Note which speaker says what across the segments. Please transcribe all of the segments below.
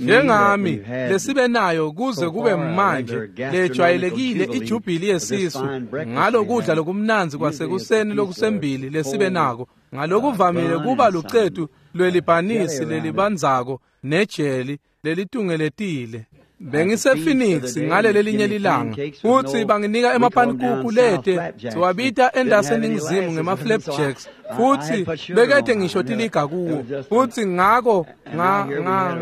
Speaker 1: Njengami lesibe nayo kuze kube manje lejwayelekile ijubili yesisu ngalokudla lokumnandzi kwasekuseni lokusembili lesibe nako ngalokuvamile kuba lucetu lwelibhanisi lelibandzako nejeli lelitungeletile. Bengise-Phoenix ngalelelinye lilanga futsi banginika emapanikuku lete siwabita endaseningizimu ngema-flapjacks futsi bekete ngisho tiliga kuwo futsi ngako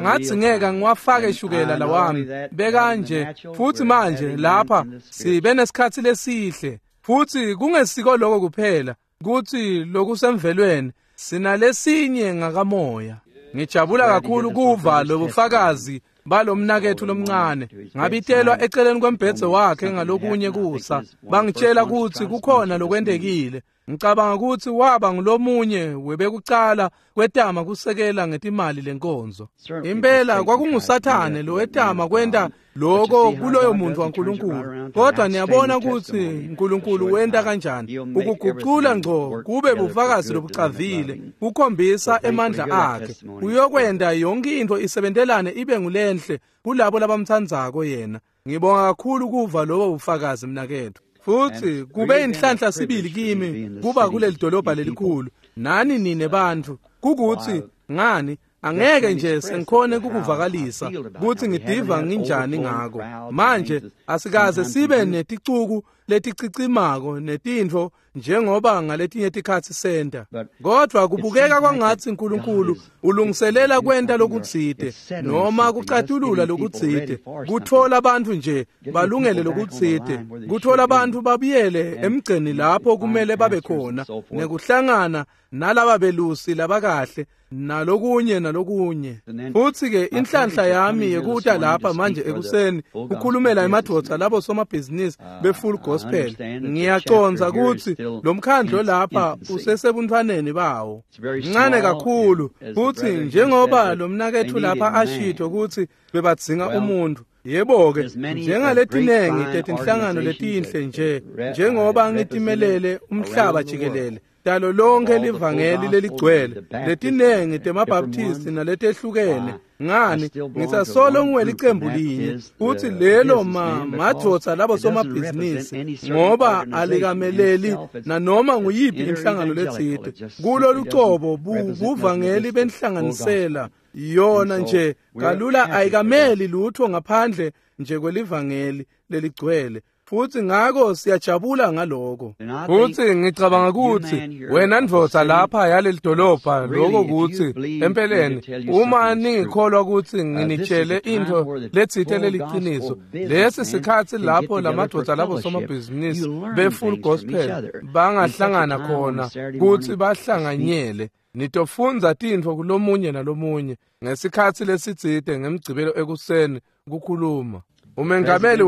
Speaker 1: ngadzingeka ngiwafake shukela lawami bekanje. Futsi manje lapha sibe nesikhatsi lesihle futsi kungesiko lokho kuphela kutsi lokusemvelweni sinalesinye ngakamoya. Ngijabula kakhulu kuva lobufakazi balomnaketfu lomncane. Ngabitelwa eceleni kwembhedze wakhe ngalokunye kusa bangitshela kutsi kukhona lokwentekile. Ngicabanga kutsi waba ngulomunye webekucala kwetama kusekela ngetimali lenkonzo. Impela kwakungusathane lowetama kwenta lokho kuloyo muntu waNkulunkulu. Kodwa niyabona kutsi uNkulunkulu wenta kanjani ukugucula ngco kube bufakazi lobucavile kukhombisa emandla akhe. Uyokwenta yonke intfo isebentelane ibe ngulenhle kulabo labamtsandzako yena. Ngibonga kakhulu kuva lobo bufakazi mnaketfu. Futsi kube inhlanhla sibili kimi kuba kuleli dolobha lelikhulu nani nine bantfu kukuthi ngani angeke nje sengikhone kukuvakalisa kutsi ngidiva nginjani ngako. Manje asikaze sibe neticuku leticicimako netintfo njengoba ngaletinye tikhatsi senta, kodvwa kubukeka kwangatsi uNkulunkulu ulungiselela kwenta lokutsite noma kucatulula lokutsite, kutfola bantfu nje balungele lokutsite, kutfola bantfu babuyele emgceni lapho kumele babe khona nekuhlangana nalaba belusi labakahle nalokunye nalokunye. Futsi-ke inhlanhla yami yekuta lapha manje ekuseni kukhulumela emadvodza labo somabhizinisi be-full gospel. Ngiyacondza kutsi lo mkhandlo lapha usesebuntfwaneni bawo mncane kakhulu, futsi njengoba lo mnaketfu lapha ashito kutsi bebadzinga umuntu. Yebo-ke, njengaletinengi tetinhlangano letinhle nje njengoba ngitimelele umhlaba jikelele talo lonke livangeli leligcwele letinengi temabaptisti naletehlukene, ngani ngisasolo ngiwelicembu linye kutsi lelo madvodza labo somabhizinisi ngoba alikameleli nanoma nguyiphi inhlangano letsite. Kulo lucobo buvangeli benhlanganisela yona nje kalula ayikameli lutho ngaphandle nje kwelivangeli leligcwele. Futsi ngako siyajabula ngaloko. Futsi ngicabanga kutsi wena ndvodza lapha yaleli dolobha lokho kutsi empeleni uma ningikholwa kutsi nginitshele intfo letsite leliciniso, lesi sikhatsi lapho lamadvodza labo somabhizinisi be-full gospel bangahlangana khona kutsi bahlanganyele. Nitofundza tintfo kulomunye nalomunye ngesikhatsi lesitsite ngemgcibelo ekuseni kukhuluma. Umengameli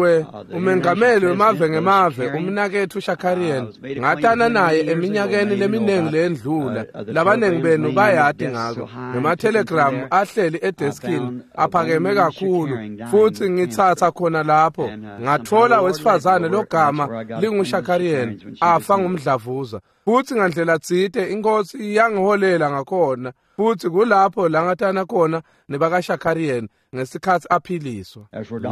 Speaker 1: wemave ngemave umnaketfu Shakarian ngatana naye eminyakeni leminingi leyendlula. Labaningi benu bayati ngako. Ngema-telegram ahleli edeskini aphakeme kakhulu futsi ngitsatsa khona lapho ngatfola wesifazane logama linguShakarian afa ngumdlavuza. Futsi ngandlela tsite inkosi yangiholela ngakhona futsi kulapho langatana khona nebakaShakarian ngesikhatsi aphiliswa.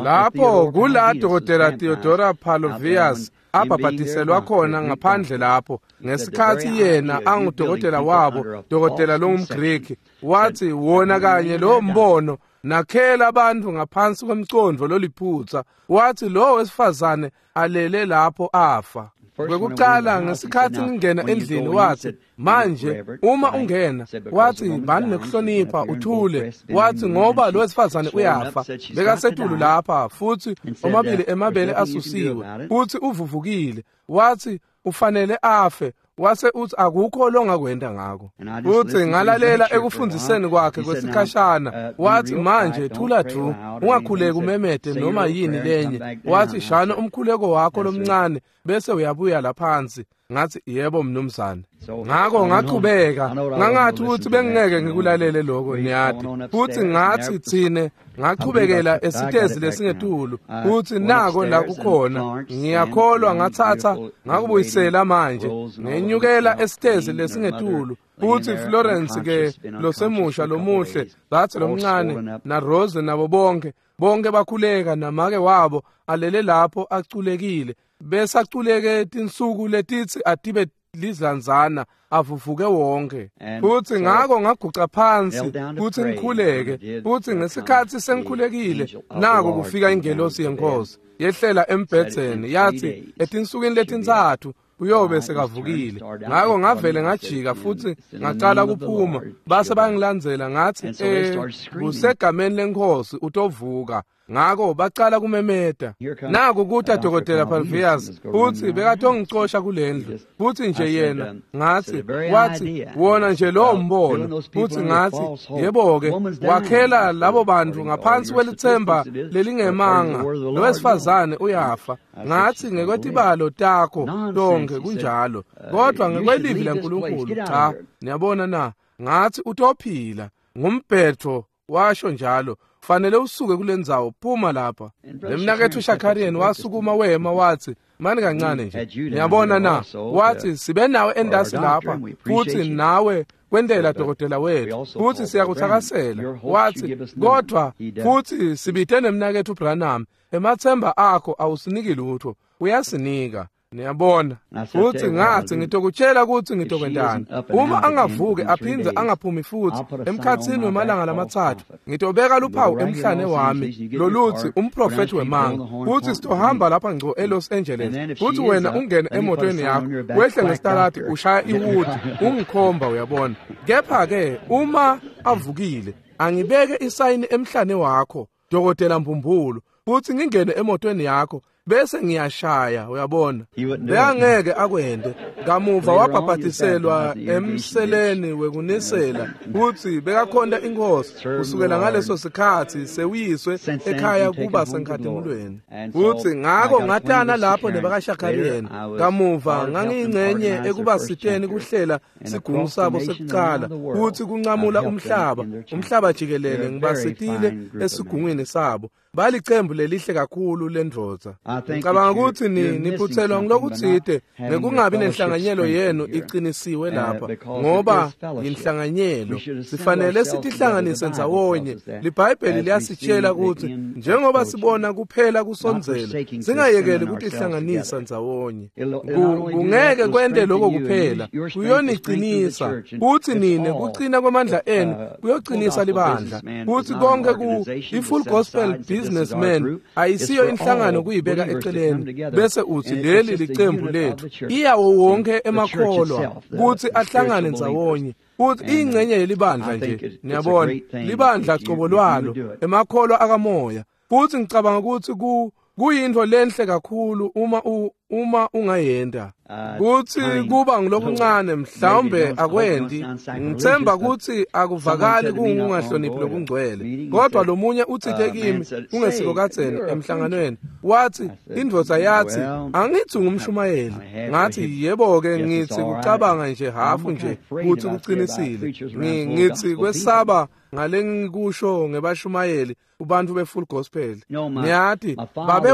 Speaker 1: Lapho kula Dokotela Theodora Palovias abhabhadiselwa khona ngaphandle lapho ngesikhatsi yena angudokotela wabo, dokotela longumGreki, wathi wona kanye lo mbono nakhela abantu ngaphansi kwemcondvo loliphutsa. Wathi lo wesifazane alele lapho afa. Kwekucala ngesikhatsi ngingena endlini wathi manje uma ungena, wathi bani nekuhlonipha uthule, wathi ngoba lo wesifazane uyafa bekasetulu lapha futsi omabili emabele asusiwe futsi uvuvukile, wathi ufanele afe. Wase uthi akukho longakwenda ngako. Futsi ngalalela ekufundziseni kwakhe kwesikhashana. Wathi manje thula dvu, ungakhuleki umemete noma yini lenye. Wathi shana umkhuleko wakho lomncane bese uyabuya laphansi. Ngathi yebo mnumzane. Ngako ngachubeka ngangathi ukuthi bengingeke ngikulalele lokho niyati. Futhi ngathi thine ngachubekela esitezi lesingetulu futhi nako la kukhona ngiyakholwa ngathatha ngakubuyisela manje ngenyukela esitezi lesingetulu. Futsi Florence ke losemusha lomuhle, dzadze lomncane na Rose nabo bonke, bonke bakhuleka namake wabo alele lapho aculekile. Besaculeke tinsuku letitsi atibe lizanzana avuvuke wonke. Futsi ngako ngaguca phansi kutsi ngikhuleke. Futsi ngesikhatsi sengikhulekile, nako kufika ingelosi yeNkhosi yehlela embhedzeni, yathi etinsukwini letintsatfu uyobe sekavukile. Ngako ngavele ngajika futsi ngacala kuphuma, base bangilandzela. Ngathi kusegameni leNkhosi utovuka. Ngako bacala kumemeta. Naku kuta Dokotela Palvias, futsi bekatongicosha kulendlu. Futsi nje yena ngathi, wathi wona nje lowo mbono. Futsi ngathi, yebo-ke, wakhela labo bantu ngaphansi kwelitsemba lelingemanga, lowesifazane uyafa. Ngathi, ngekwetibalo takho tonkhe kunjalo, kodwa ngekwelivi laNkulunkulu cha. Niyabona na? Ngathi utophila. Ngumbhetho washo njalo, fanele usuke kulendzawo, phuma lapha. Lemnaketfu Shakarian wasukuma wema wathi, mani kancane nje, niyabona na? Wathi sibe nawe endasi lapha, futhi nawe kwendela dokotela wethu, futhi siyakuthakasela. Wathi kodwa futhi sibite nemnaketfu Branham, emathemba akho awusiniki lutho, uyasinika. Niyabona? Futhi ngathi ngitokutshela ukuthi ngitokwentani. Uma angavuki aphindze angaphumi futhi emkhatsini wemalanga lamatsatfu, ngitobeka luphawu emhlane wami lolutsi umprofethi wemanga. Futhi sitohamba lapha ngco eLos Angeles. Futhi wena ungene emotweni yakho, wehle ngesitaladi ushaya iwudi, ungikhomba, uyabona. Kepha-ke uma avukile, angibeke isayini emhlane wakho, Dokotela Mbumbulu, futhi ngingene emotweni yakho bese ngiyashaya, uyabona. Bekangeke akwente. Kamuva wabhabhatiselwa emseleni wekunisela, futsi bekakhonta iNkhosi kusukela ngaleso sikhatsi sewuyiswe ekhaya kuba senkhatimulweni. Futsi ngako ngatana lapho nebakaShakarian. Kamuva ngangiyingcenye ekubasiteni kuhlela sigungu sabo sekucala, futsi kuncamula umhlaba, umhlaba jikelele ngibasitile esigungwini sabo. Balicembu lelihle kakhulu lendvodza. Ngicabanga ukuthi niphuthelwa ngilokutsite ngekungabi nenhlanganyelo yenu iqinisiwe lapha, ngoba yinhlanganyelo. Sifanele sitihlanganise ndzawonye. LiBhayibheli liyasitshela ukuthi njengoba sibona kuphela kusondzela, singayekeli kutihlanganisa ndzawonye. Kungeke kwente lokho kuphela, kuyoniqinisa. Futhi nine kucina kwamandla enu kuyoqinisa libandla. Futhi konke ku i-Full Gospel Businessman ayisiyo inhlangano kuyibeka eceleni bese uthi leli licembu lethu. Iyawo wonke emakholwa kuthi ahlangane ndzawonye. Futhi ingcenye yelibandla nje, niyabona, libandla cobo lwalo, emakholwa akamoya. Futhi ngicabanga ukuthi kuyintfo lenhle kakhulu uma ungayenta. Kuthi kuba ngilokuncane mhlawumbe akwendi, ngithemba ukuthi akuvakali kungahloniphi lokungcwele. Kodwa lomunye utsite kimi kungesiko kadzeni emhlanganweni, wathi indvodza yathi angithi ngumshumayeli. Ngathi yebo-ke, ngithi kucabanga nje hafu nje kuthi kuqinisile. Ngithi kwesaba ngale ngikusho ngebashumayeli kubantu be-Full Gospel. Niyathi babe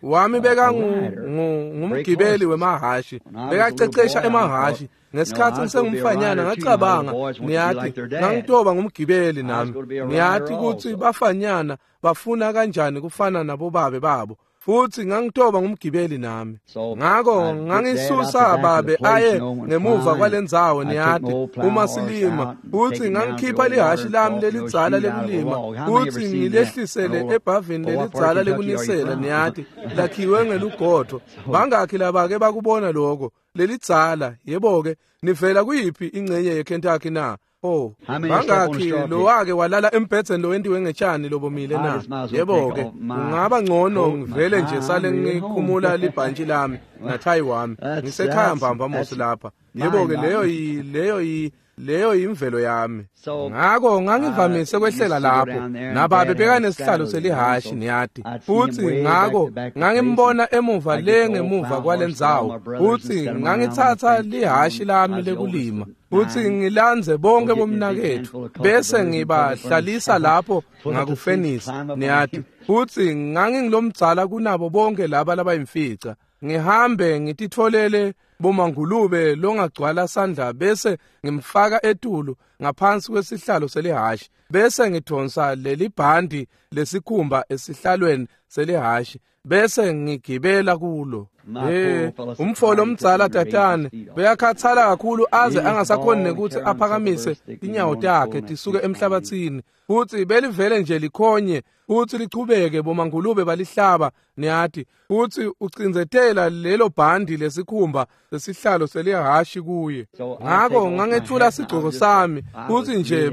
Speaker 1: wami beka ngumgibeli wemahashi, bekacecesha emahashi. Ngesikhatsi ngisengumfanyana ngacabanga, niyathi ngangitoba ngumgibeli nami. Niyathi kutsi bafanyana bafuna kanjani kufana nabobabe babo. Futhi ngangitoba ngumgibeli nami. Ngako ngangisusa babe aye ngemuva kwalendzawo, niyathi uma silima. Futhi ngangikhipha lihashi lami lelidzala lekulima, futhi ngilehlisele ebhavini lelidzala lekunisela, niyathi lakhiwe ngelugodvo. Bangakhi labake bakubona lokho lelidzala? Yebo-ke, nivela kuyiphi ingcenye yeKentucky na? Oh, bangakhi lowake walala embhedzeni lowentiwe ngetshani lobomile na? Yebo-ke, kungaba ngcono ngivele nje sale ngikhumula libhantshi lami nathayi wami. Ngisekhaya mbamba mos lapha. Yebo-ke, leyo yimvelo yami. Ngako ngangivamise kwehlela lapho nababe bekanesihlalo selihashi, niyati. Futhi ngako ngangimbona emuva le ngemuva kwalendzawo. Futhi ngangitsatsa lihashi lami lekulima, futhi ngilandze bonke bomnaketfu bese ngibahlalisa lapho ngakufenisi, niyati. Futhi ngangingilomdzala kunabo bonke laba labayimfica. Ngihambe ngititfolele bomangulube longagcwala sandla bese ngimfaka etulu ngaphansi kwesihlalo selihhashi bese ngidonsa lelibhandi lesikhumba esihlalweni selihhashi bese ngigibela kulo. Umfolo omdzala tatane beyakhathala kakhulu aze angasakhoni nekuthi aphakamise tinyawo takhe tisuke emhlabathini, futhi belivele nje likhonye futhi lichubeke bomangulube balihlaba niyati, futhi ucindzetela lelo bhandi lesikhumba lesihlalo selihhashi kuye. Ngako ngangethula sigcoko sami futhi nje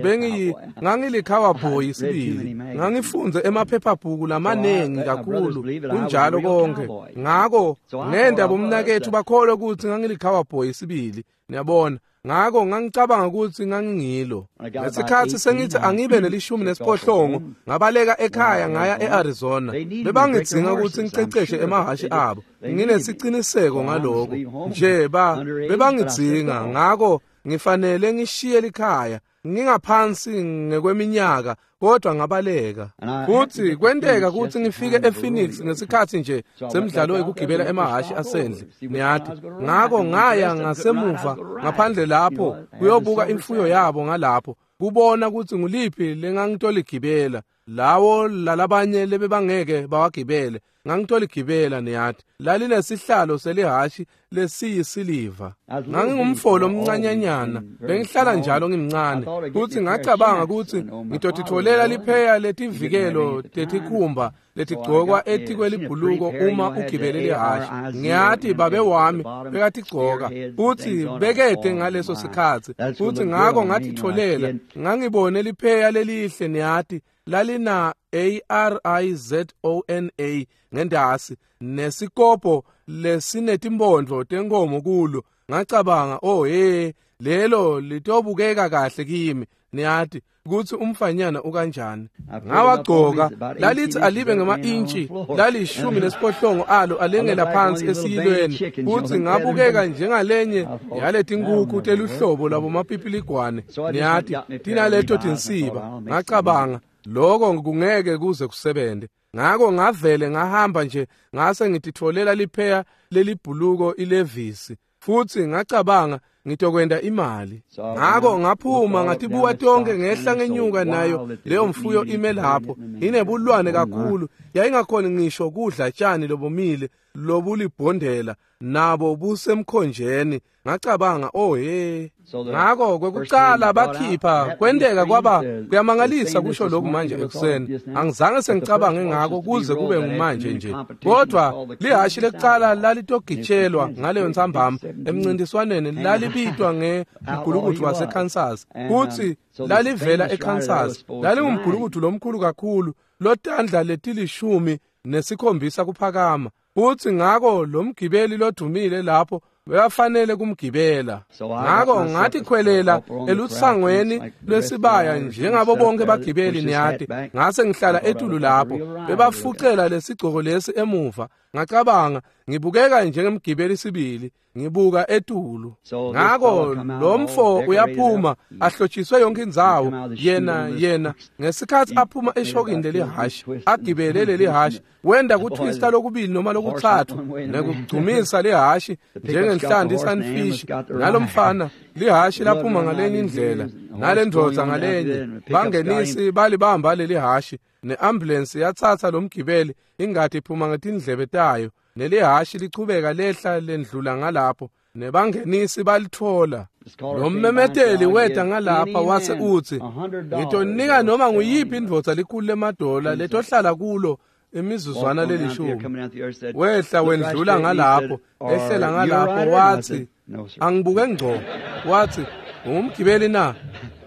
Speaker 1: ngangilikhawaboy sibili, ngangifunze emaphephabhuku lamaningi kakhulu kunjalo konke. Ngako ngenda bomnakethu bakholwe ukuthi ngangilikhawaboy sibili, niyabona. Ngako ngangicabanga ukuthi ngangingilo. Ngesikhathi sengithi angibe ne-18 ngabaleka ekhaya ngaya eArizona. Bebangidzinga ukuthi ngiceceshe emahhashi abo. Nginesiqiniseko ngaloko. Nje bebangidzinga, ngako ngifanele ngishiye likhaya. Ngingaphansi ngekweminyaka kodwa ngabaleka. Futhi kwenteka ukuthi ngifike ePhoenix ngesikhathi nje semidlalo yokugibela emahhashi asendle niyati. Ngako ngaya ngasemuva ngaphandle lapho kuyobuka imfuyo yabo ngalapho kubona ukuthi nguliphi lengangitoligibela lawo lalabanye lebebangeke bawagibele. Ngangitoligibela niyati. Lalinesihlalo selihhashi lesiyisiliva. Ngangingumfolo omncanyanyana, bengihlala njalo ngimncane, futhi ngacabanga ukuthi ngitotitfolela lipheya letivikelo tetikhumba letigcokwa etikwelibhuluko uma ugibele lihhashi. Ngiyati babe wami bekatigcoka futhi bekede ngaleso sikhathi, futhi ngako ngatitfolela. Ngangibone lipheya lelihle niyati, lalina ARIZONA ngendasi nesikopo lesinetimbondvo tenkomo kulo. Ngacabanga, oh hey, lelo litobukeka kahle kimi niyati ukuthi umfanyana ukanjani. Ngawagcoka, lalithi alibe ngama-intshi lali-18 alo alengela phansi esiyilweni, futhi ngabukeka njengalenye yaletinkukhu teluhlobo lwabomapipiligwane niyati, tinaleto tinsiba. Ngacabanga, lokho kungeke kuze kusebente. Ngako ngavele ngahamba nje ngase ngititfolela lipheya lelibhuluko ilevisi, futhi ngacabanga ngitokwenda imali. Ngako ngaphuma ngatibuka tonke ngehla ngenyuka nayo leyo mfuyo ime lapho inebulwane kakhulu, yayingakhoni ngisho kudla tshani lobomile lobulibhondela nabo busemkhonjeni. Ngacabanga, oh hey. Ngako kwekucala bakhipha kwenteka kwaba kuyamangalisa kusho lokhu manje ekuseni. Angizange sengicabange ngako kuze kube ngumanje nje, kodwa lihhashi lekucala lalitogitshelwa ngaleyo ntsambama emncintiswaneni lalibitwa ngemgulukudu waseKansas, futhi lalivela eKansas. Lalingumgulukudu lomkhulu kakhulu lotandla leti-17 kuphakama, futhi ngako lo mgibeli lodumile lapho bebafanele kumgibela. Ngako ngathi khwelela elutsangweni lwesibaya njengabo bonke bagibeli niyati. Ngase ngihlala etulu lapho bebafucela lesigcoko lesi emuva. Ngacabanga, ngibukeka njengemgibeli sibili, ngibuka etulu. Ngako lo mfo uyaphuma ahlotshiswe yonke indzawo. Yena ngesikhathi aphuma eshokini lelihhashi agibele lelihhashi, wenda kutwista lokubili noma lokuthathu nekugcumisa lihhashi njengenhlanti isunfish. Nalomfana lihhashi laphuma ngalenye indlela nalendvodza ngalenye. Bangenisi balibamba lelihhashi, ne-ambulensi yatsatsa lo mgibeli, ingati iphuma ngetindlebe tayo, nelihhashi lichubeka lehla lendlula ngalapho, nebangenisi balithola. Lo mmemeteli weta ngalapha wase utsi, ngitonika noma nguyiphi indvodza $100 letohlala kulo imizuzwana lelishumi. Wehla wendlula ngalapho, ehlela ngalapho, wathi, angibuke ngco, wathi, ungumgibeli na?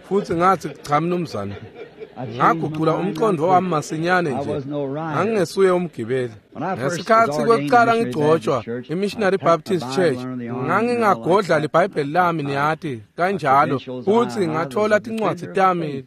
Speaker 1: Futhi ngathi, cha mnumzane. Ngagucula umqondo wami masinyane nje, angingesuye umgibeli. Ngesikhathi kwekucala ngigcotshwa iMissionary Baptist Church, ngangingagodla libhayibheli lami niyati kanjalo, futhi ngathola tincwadzi tami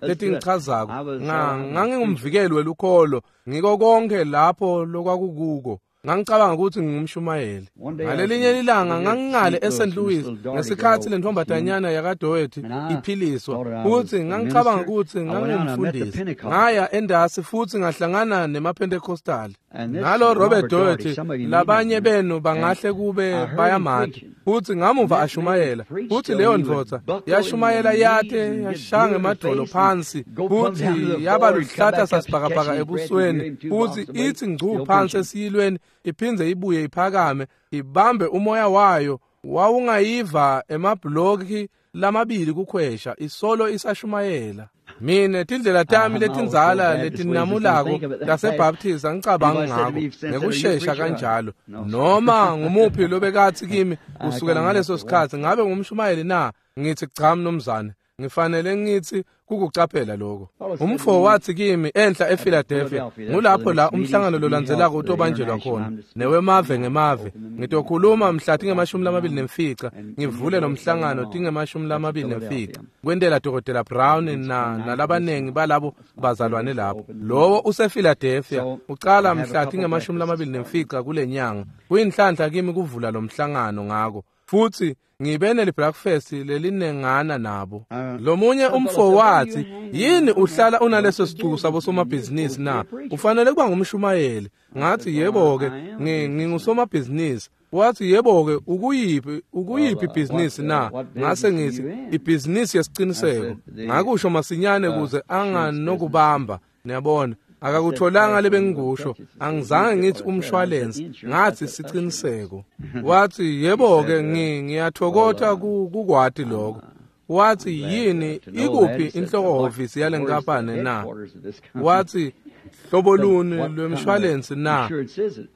Speaker 1: letingichazako. Ngangingumvikeli welukholo ngiko konke lapho lokwakukuko. Ngangicabanga ukuthi ngingumshumayeli. Ngalelinye ilanga ngangingale eSt. Louis ngesikhathi lentombazanyana yakaDoherty iphiliswa, futhi ngangicabanga ukuthi ngangumfundisi. Ngaya endasi futhi ngahlangana nemaPentecostal. Nalo Robert Doherty, labanye benu bangahle kube bayamati, futhi ngamuva ashumayela, futhi leyo ndvodza yashumayela yate yashaya ngemadvolo phansi, futhi yaba luhlata sasibhakabhaka ebusweni, futhi ithi ngcu phansi esiyilweni, iphindze ibuye iphakame, ibambe umoya wayo, wawungayiva emabhuloki lamabili kukhwesha, isolo isashumayela. Mine tindlela tami letindzala letinamulako taseBaptist angicabanga ngako ngekushesha kanjalo. Noma ngumuphi lobekathi kimi kusukela ngaleso sikhathi ngabe ngumshumayeli na? Ngithi cha mnumzane, ngifanele ngithi kukucaphela lokho. Umfo wathi kimi enhla ePhiladelphia, ngulapho la umhlangano lolandzelako utobanjelwa khona, newemave ngemave. Ngitokhuluma mhla tinge-25 ngivule lo mhlangano tinge-25 kwentela Dr. Brown na nalabanengi balabo bazalwane lapho. Lowo usePhiladelphia ucala mhla tinge-25 kule nyanga. Kuyinhlanhla kimi kuvula lo mhlangano ngako. Futhi ngibe neli-breakfast lelinengana nabo. Lomunye umfo wathi, yini uhlala unaleso sicuku sabosomabhizinisi na? Ufanele kuba ngumshumayeli. Ngathi yebo-ke, ngingusomabhizinisi. Wathi yebo-ke, ukuyiphi ibhizinisi na? Ngase ngithi ibhizinisi yesiciniseko. Ngakusho masinyane kuze anganokubamba, niyabona. Akakutholanga lebengikusho, angizange ngithi umshwalense, ngathi siciniseko. Wathi yebo-ke, ngiyathokotha kukwati lokho. Wathi yini, ikuphi inhloko hhovisi yale nkampani na? Wathi hlobo luni lwemshwalense na?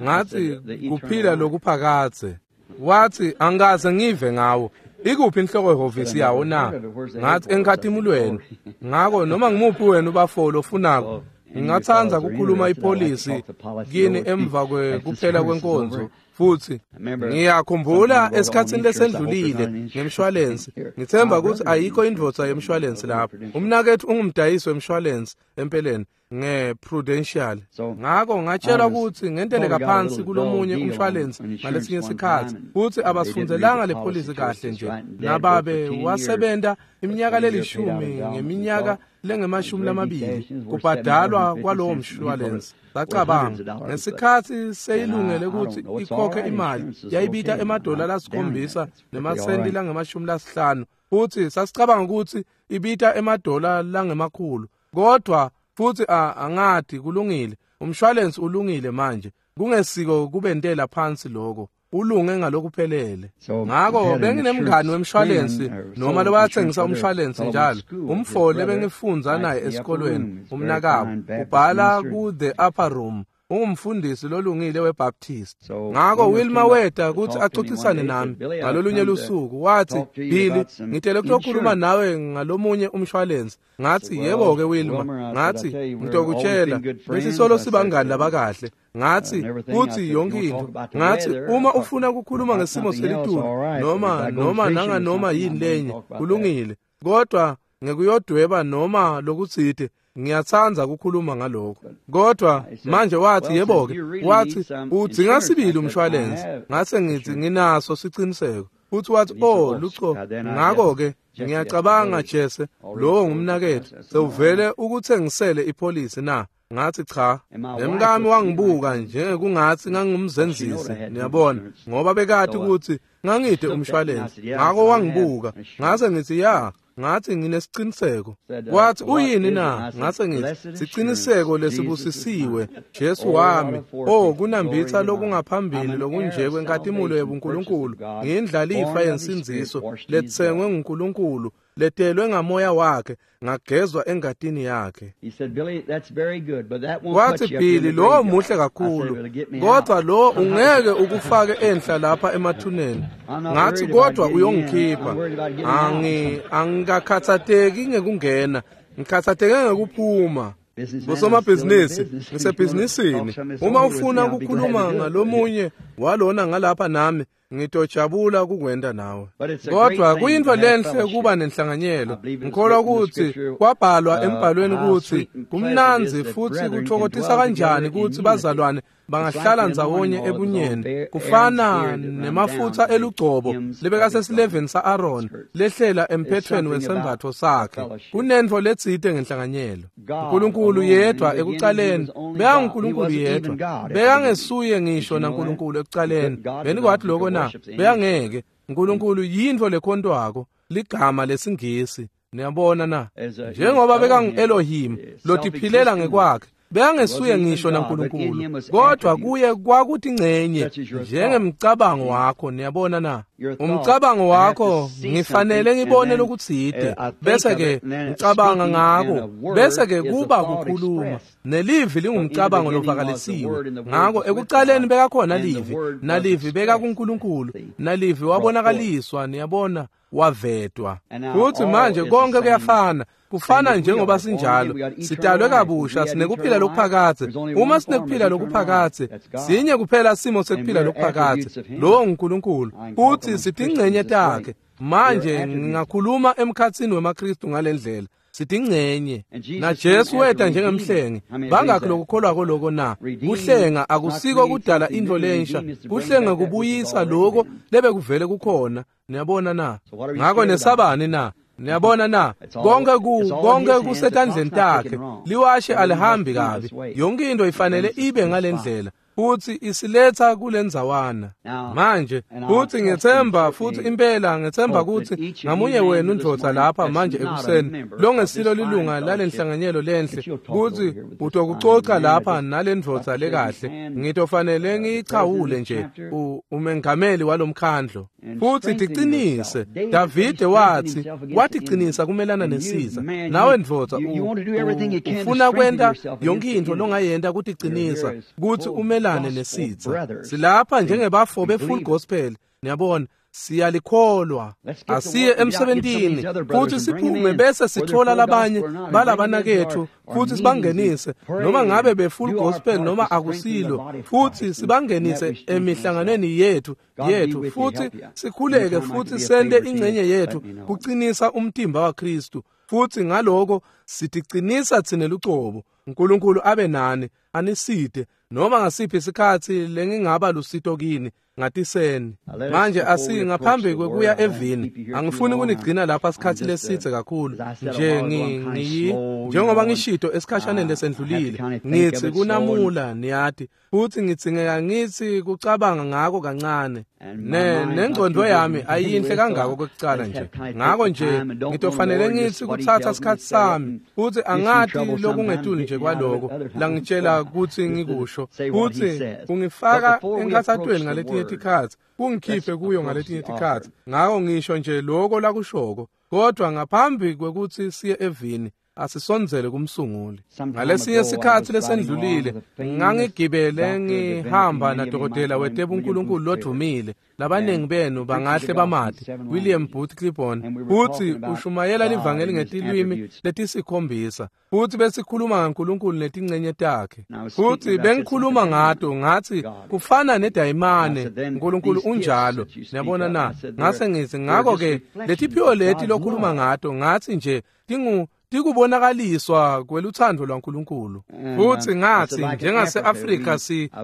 Speaker 1: Ngathi kuphila lokuphakadze. Wathi angikaze ngive ngawo. Ikuphi inhloko hhovisi yawo na? Ngathi enkhatimulweni. Ngako noma ngimuphi wena ubafolo ofunako, ngingathanda ukukhuluma ipolisi kini emva kuphela kwenkonzo. Futhi ngiyakhumbula esikhatsini lesendlulile ngemshwalense, ngithemba ukuthi ayikho indvodza yemshwalense lapho. Umnakethu ungumdayisi wemshwalense empeleni nge-Prudential. Ngako ngatshelwa ukuthi ngenteleka phansi kulomunye umshwalense ngalesinye isikhathi, futhi abasifunzelanga le polisi kahle nje. Nababe wasebenta iminyaka lelishumi ngeminyaka lengama-20 kubhadalwa kwalowo mshwalense. Sacabanga ngesikhathi seyilungele ukuthi ikhokhe imali yayibita emadola 7 nemasenti langama-50, futhi sasicabanga ukuthi ibita emadola langemakhulu, kodwa futhi angathi kulungile, umshwalense ulungile manje, kungesiko kubentela phansi lokho, ulunge ngalokuphelele. Ngako benginemngani wemshwalense noma lobathengisa umshwalense njalo, umfo lebengifundza naye esikolweni, umnakabo ubhala ku The Upper Room, ungumfundisi lolungile weBaptist. Ngako Wilma weta ukuthi axoxisane nami ngalolunye lusuku, wathi Billy, ngitele ukukhuluma nawe ngalomunye umshwalense. Ngathi yebo-ke Wilma, ngathi ngitokutshela besisolo sibangani labakahle. Ngathi kuthi yonke into, ngathi uma ufuna ukukhuluma ngesimo selitulu noma nanganoma yini lenye kulungile, kodwa ngekuyodweba noma lokutsite ngiyathanda ukukhuluma ngalokho. Kodwa manje wathi yebo-ke, wathi udzinga sibili umshwalense. Ngase ngithi nginaso siciniseko. Futhi wathi oh lucho, ngako-ke ngiyacabanga Jesse, lowo ngumnakethu, sewuvele ukuthengisele ipolisi na? Ngathi cha. Nemkami wangibuka njengekungathi ngangumzenzisi, niyabona, ngoba bekati ukuthi ngangide umshwalense. Ngako wangibuka, ngase ngithi ya, ngathi nginesiciniseko. Wathi uyini na? Ngase ngithi siciniseko lesibusisiwe, Jesu wami. Oh, kunambitha lokungaphambili lokunje kwenkatimulo yebuNkulunkulu, ngiyindlalifa yensindziso letsengwe nguNkulunkulu, letelwe ngamoya wakhe, ngagezwa engatini yakhe. Wathi Billy, lo muhle kakhulu, kodwa lo ungeke ukufake enhla lapha emathuneni. Ngathi kodwa uyongikhipha. Angikakhathatheki ngekungena, ngikhathatheke ngekuphuma. Bosomabhizinisi, ngisebhizinisini. Uma ufuna ukukhuluma ngalomunye walona ngalapha nami, ngitojabula ukukwenda nawe. Kodwa kuyinto lenhle kuba nenhlanganyelo. Ngikholwa ukuthi kwabhalwa embhalweni ukuthi Kumnandzi futsi kutfokotisa kanjani kutsi bazalwane bangahlala ndzawonye ebunyeni. Kufana nemafutsa elugcobo lebekasesileveni sa-Aaron lehlela emphethweni wesembatfo sakhe. Kunentfo letsite ngenhlanganyelo. Nkulunkulu yedvwa ekucaleni, bekanguNkulunkulu yedvwa. Bekangesuye ngisho naNkulunkulu ekucaleni. Benikwati loko na? Bekangeke. Nkulunkulu yintfo lekhontwako, ligama lesingisi. Niyabona na? Njengoba bekangu-Elohim lotiphilela ngekwakhe, bekangesuye ngisho naNkulunkulu, kodwa kuye kwakutingcenye njengemcabango wakho. Niyabona na? Umcabango wakho, ngifanele ngibone lokutsite, bese-ke ngicabanga ngako, bese-ke kuba kukhuluma. Nelivi lingumcabango lovakalisiwe. Ngako ekucaleni bekakhona livi, nalivi bekakuNkulunkulu, nalivi wabonakaliswa. Niyabona, wavetwa. Futsi manje konke kuyafana. Kufana njengoba sinjalo, sidalwe kabusha, sinekuphila lokuphakadze. Uma sinekuphila lokuphakadze, sinye kuphela simo sekuphila lokuphakadze, lowo nguNkulunkulu, futsi sitingcenye takhe. Manje ngingakhuluma emkhatsini wemaKristu ngalendlela. Sitingcenye. NaJesu weta njengemhlengi. Bangakhi lokukholwako loko na? Kuhlenga akusiko kudala intfo lensha. Kuhlenga kubuyisa loko lebekuvele kukhona. Niyabona na? Ngako nesabani na? Niyabona na? Konke kusetandleni takhe. Liwashe alihambi kabi. Yonke into ifanele ibe ngalendlela. Futsi isiletha kulendzawana. Manje futsi ngethemba, futsi impela ngethemba kutsi ngamunye wenu ndvodza lapha manje ekuseni longesilo lilunga lalenhlanganyelo lenhle, kutsi utokucoca lapha nalendvodza lekahle. Ngitofanele ngiyichawule nje umengameli walomkhandlo. Futsi ticinise. Davide wathi waticinisa kumelana nesitsa. Nawe ndvodza ufuna kwenta yonke intfo longayenta kuticinisa kutsi umelane nesitsa. Silapha njengebafo be-full gospel. Niyabona, siyalikholwa. Asiye emsebentini futsi siphume bese sithola labanye balabanaketfu futsi sibangenise, noma ngabe be-full gospel noma akusilo, futsi sibangenise emihlanganweni yethu futsi sikhuleke futsi sente ingcenye yethu kucinisa umtimba waKristu. Futsi ngaloko siticinisa tsine lucobo. Nkulunkulu abe nani, anisite noma ngasiphi isikhatsi lengingaba lusito kini, ngatiseni. Manje ngaphambi kwekuya evini, angifuni kunigcina lapha sikhatsi lesidze kakhulu. Nje njengoba ngishito esikhashaneni lesendlulile, ngitsi kunamula, niyati, futsi ngidzingeka ngitsi kucabanga ngako kancane. Nengcondvo yami ayinhle kangako kwekucala nje. Ngako nje ngitofanele ngitsi kutsatsa sikhatsi sami, futsi angati lokungetulu nje kwaloko langitshela kutsi ngikusho, futsi kungifaka enkhatsatweni ngaletinye tikhatsi, kungikhiphe kuyo ngaletinye tikhatsi. Ngako ngisho nje loko lakushoko. Kodwa ngaphambi kwekutsi siye evini, asisondzele kumsunguli. Ngalesinye sikhatsi lesendlulile, ngangigibele ngihamba nadokotela wetebunkulunkulu lodvumile. Labaningi benu bangahle bamati, William Booth Clibborn. Futsi ushumayela livangeli ngetilwimi letisikhombisa. Futsi besikhuluma ngaNkulunkulu netingcenye takhe. Futsi bengikhuluma ngato, ngathi kufana nedayimane, Nkulunkulu unjalo. Niyabona na? Ngase ngithi ngako-ke letiphiwo leti lokhuluma ngato, ngathi nje tikubonakaliswa kweluthando lwaNkulunkulu. Futsi ngathi njengase-Afrika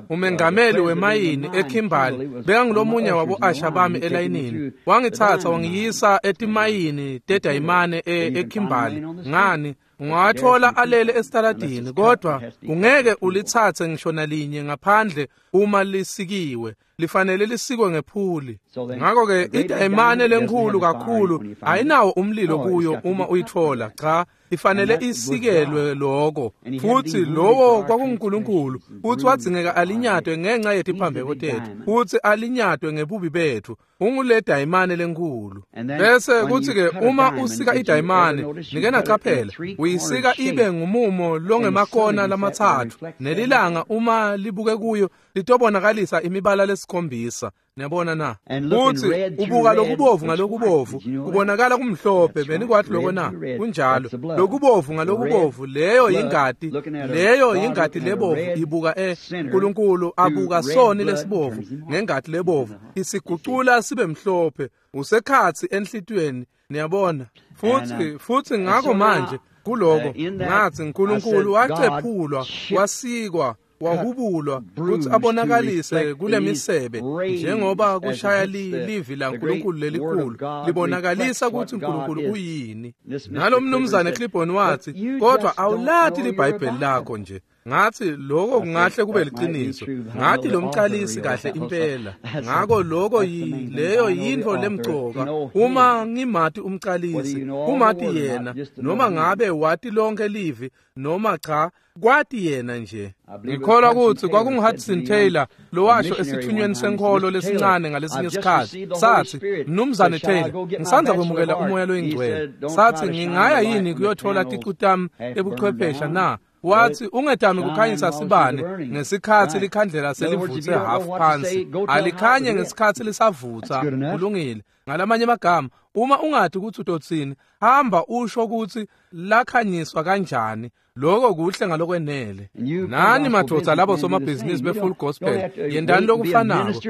Speaker 1: umengameli wemayini eKimberley bekangulomunye wabo-asha bami elayinini. Wangitsatsa wangiyisa etimayini tedayimane eKimberley. Ngani, ungawathola alele esitaladini, kodwa ungeke ulitsatse ngisho nalinye ngaphandle uma lisikiwe. Lifanele lisikwe ngephuli. Ngako-ke idayimane lenkhulu kakhulu ayinawo umlilo kuyo uma uyitfola. Cha, ifanele isikelwe loko. Futsi lowo kwakunguNkulunkulu. Futsi wadzingeka alinyatwe ngenxa yetiphambeko tetfu, futsi alinyatwe ngebubi betfu. Ungule dayimane lenkhulu. Bese kutsi-ke uma usika idayimane, nike nacaphela, uyisika ibe ngumumo longemakona lamatsatfu, nelilanga uma libuke kuyo litobonakalisa imibala lesikhombisa. Niyabona na? Futsi ubuka lokubovu ngalokubovu, kubonakala kumhlophe. Benikwati loko na? Kunjalo. Lokubovu ngalokubovu, leyo yingati, leyo yingati lebovu ibuka Nkulunkulu abuka soni lesibovu ngengati lebovu, isigucula sibe mhlophe. Usekhatsi enhlitiyweni, niyabona. Futsi ngako manje Kuloko ngathi uNkulunkulu wacephulwa, wasikwa, wahubulwa kutsi abonakalise kulemisebe njengoba kushaya livi laNkulunkulu lelikhulu libonakalisa kutsi uNkulunkulu uyini. Nalo mnumzane Clibborn wathi, kodwa awulati liBhayibheli lakho nje. Ngathi lokho kungahle kube liqiniso. Ngathi lo mqalisi kahle impela. Ngako lokho leyo yintfo lemcoka. Uma ngimati umqalisi, kumati yena, noma ngabe wati lonke livi noma cha, kwati yena nje. Ngikholwa kutsi kwakungu-Hudson Taylor lowasho esithunyweni senkholo lesincane ngalesinye isikhatsi. Sathi, Mnumzane Taylor, ngisandza kwemukela umoya loyingcwele. Sathi, ngingaya yini kuyothola ticu tami ebuchwephesha na? Wathi, ungetami kukhanyisa sibane ngesikhatsi likhandlela selivutse half phansi. Alikhanye ngesikhatsi lisavutsa. Kulungile. Ngalamanye amagama, uma ungathi kutsi utotsini, hamba usho kutsi lakhanyiswa kanjani. Lokho kuhle ngalokwenele. Nani madvodza labo somabhizinisi be-full gospel, yendani lokufanako.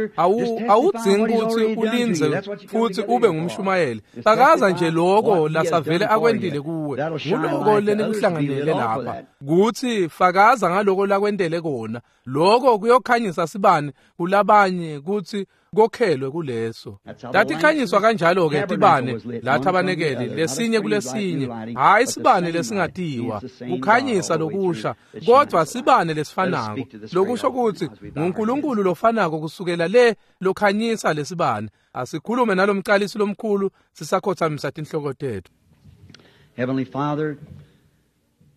Speaker 1: Awudzingi kutsi ulindze futsi ube ngumshumayeli. Fakaza nje lokho lasavele akwentile kuwe. Nguloko lenikuhlanganele lapha. Kutsi fakaza ngaloko lakwentele kona. Lokho kuyokhanyisa sibane kulabanye kutsi kokhelwe kuleso. Tatikhanyiswa kanjalo-ke tibane la thabanekeli lesinye kulesinye, hhayi sibane lesingatiwa, kukhanyisa lokusha, kodwa sibane lesifanako. Lokusho kutsi nguNkulunkulu lofanako kusukela le lokhanyisa lesibane. Asikhulume nalomqalisi lomkhulu sisakhothamisa tinhloko tetfu.
Speaker 2: Heavenly Father,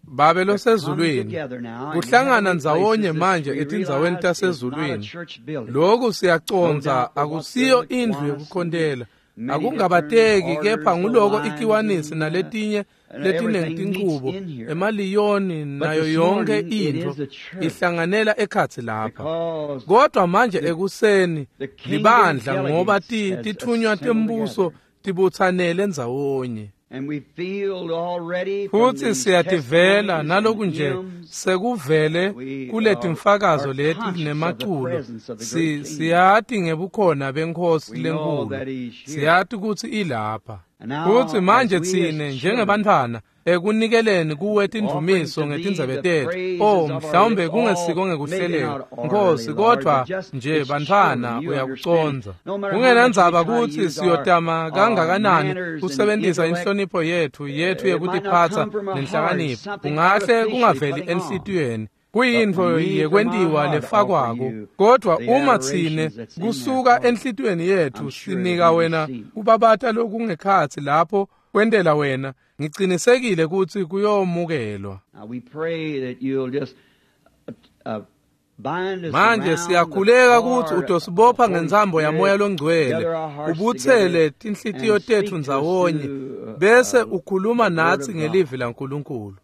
Speaker 1: Babe losezulwini, kuhlangana ndzawonye manje etindzaweni tasezulwini. Lokhu siyacondza akusiyo indlu yekukhontela. Akungabateki kepha nguloko ikiwanisi naletinye letinengi tinchubo, emaliyoni nayo yonke intfo ihlanganela ekhatsi lapha. Kodwa manje ekuseni libandla ngoba tithunywa tembuso tibutsanele ndzawonye. Futsi siyativela naloku nje sekuvele kuletimfakazo leti nemaculo. Siyati ngebukhona beNkhosi lenkulu. Siyati kutsi ilapha. Futsi manje tsine njengebantfwana ekunikeleni kuwe tindumiso ngetindzebe tetfu. Oh, mhlawumbe kungesiko ngekuhleleka, Nkosi, kodwa nje bantfwana uyakucondza. Kungenandzaba kutsi siyotama kangakanani kusebentisa inhlonipho yetfu yekutiphatsa nenhlakanipho, kungahle kungaveli enhlitiyweni. Kuyintfo yekwentiwa lefakwako, kodwa uma tsine kusuka enhlitiyweni yetfu sinika wena kubabata lokungekhatsi lapho kwentela wena, ngicinisekile kutsi kuyomukelwa. Manje siyakhuleka kutsi utosibopha ngentsambo yamoya longcwele, ubutsele tinhlitiyo tetfu ndzawonye, bese ukhuluma natsi ngelivi laNkulunkulu.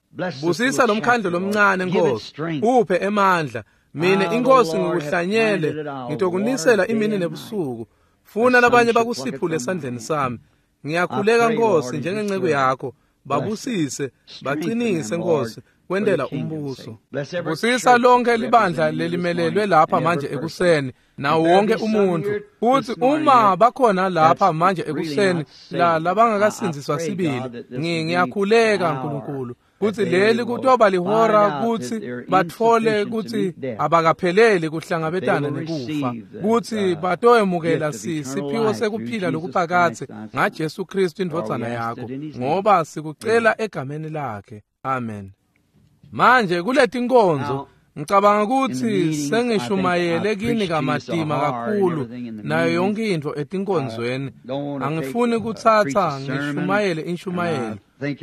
Speaker 1: Busisa lomkhandlo lomncane, Nkosi, uphe emandla. Mine inkosi ngikuhlanyele, ngitokunisela imini nebusuku. Funa labanye bakusiphule esandleni sami. Ngiyakhuleka Nkosi njengenceku yakho, babusise, bacinise Nkosi, kwentela umbuso. Busisa lonke libandla lelimelelwe lapha manje ekuseni, nawo wonke umuntu. Futhi uma bakhona lapha manje ekuseni labangakasindziswa sibili, ngiyakhuleka Nkulunkulu kutsi leli kutoba lihora kutsi batfole kutsi abakapheleli kuhlangabetana nekufa, kutsi batoyemukela siphiwo sekuphila lokuphakadze ngaJesu Kristu indvodzana yakho, ngoba sikucela egameni lakhe. Amen. Manje kuletinkonzo ngicabanga kutsi sengishumayele kini kamatima kakhulu nayo yonke intfo etinkonzweni. Angifuni kutsatsa ngishumayele inshumayelo.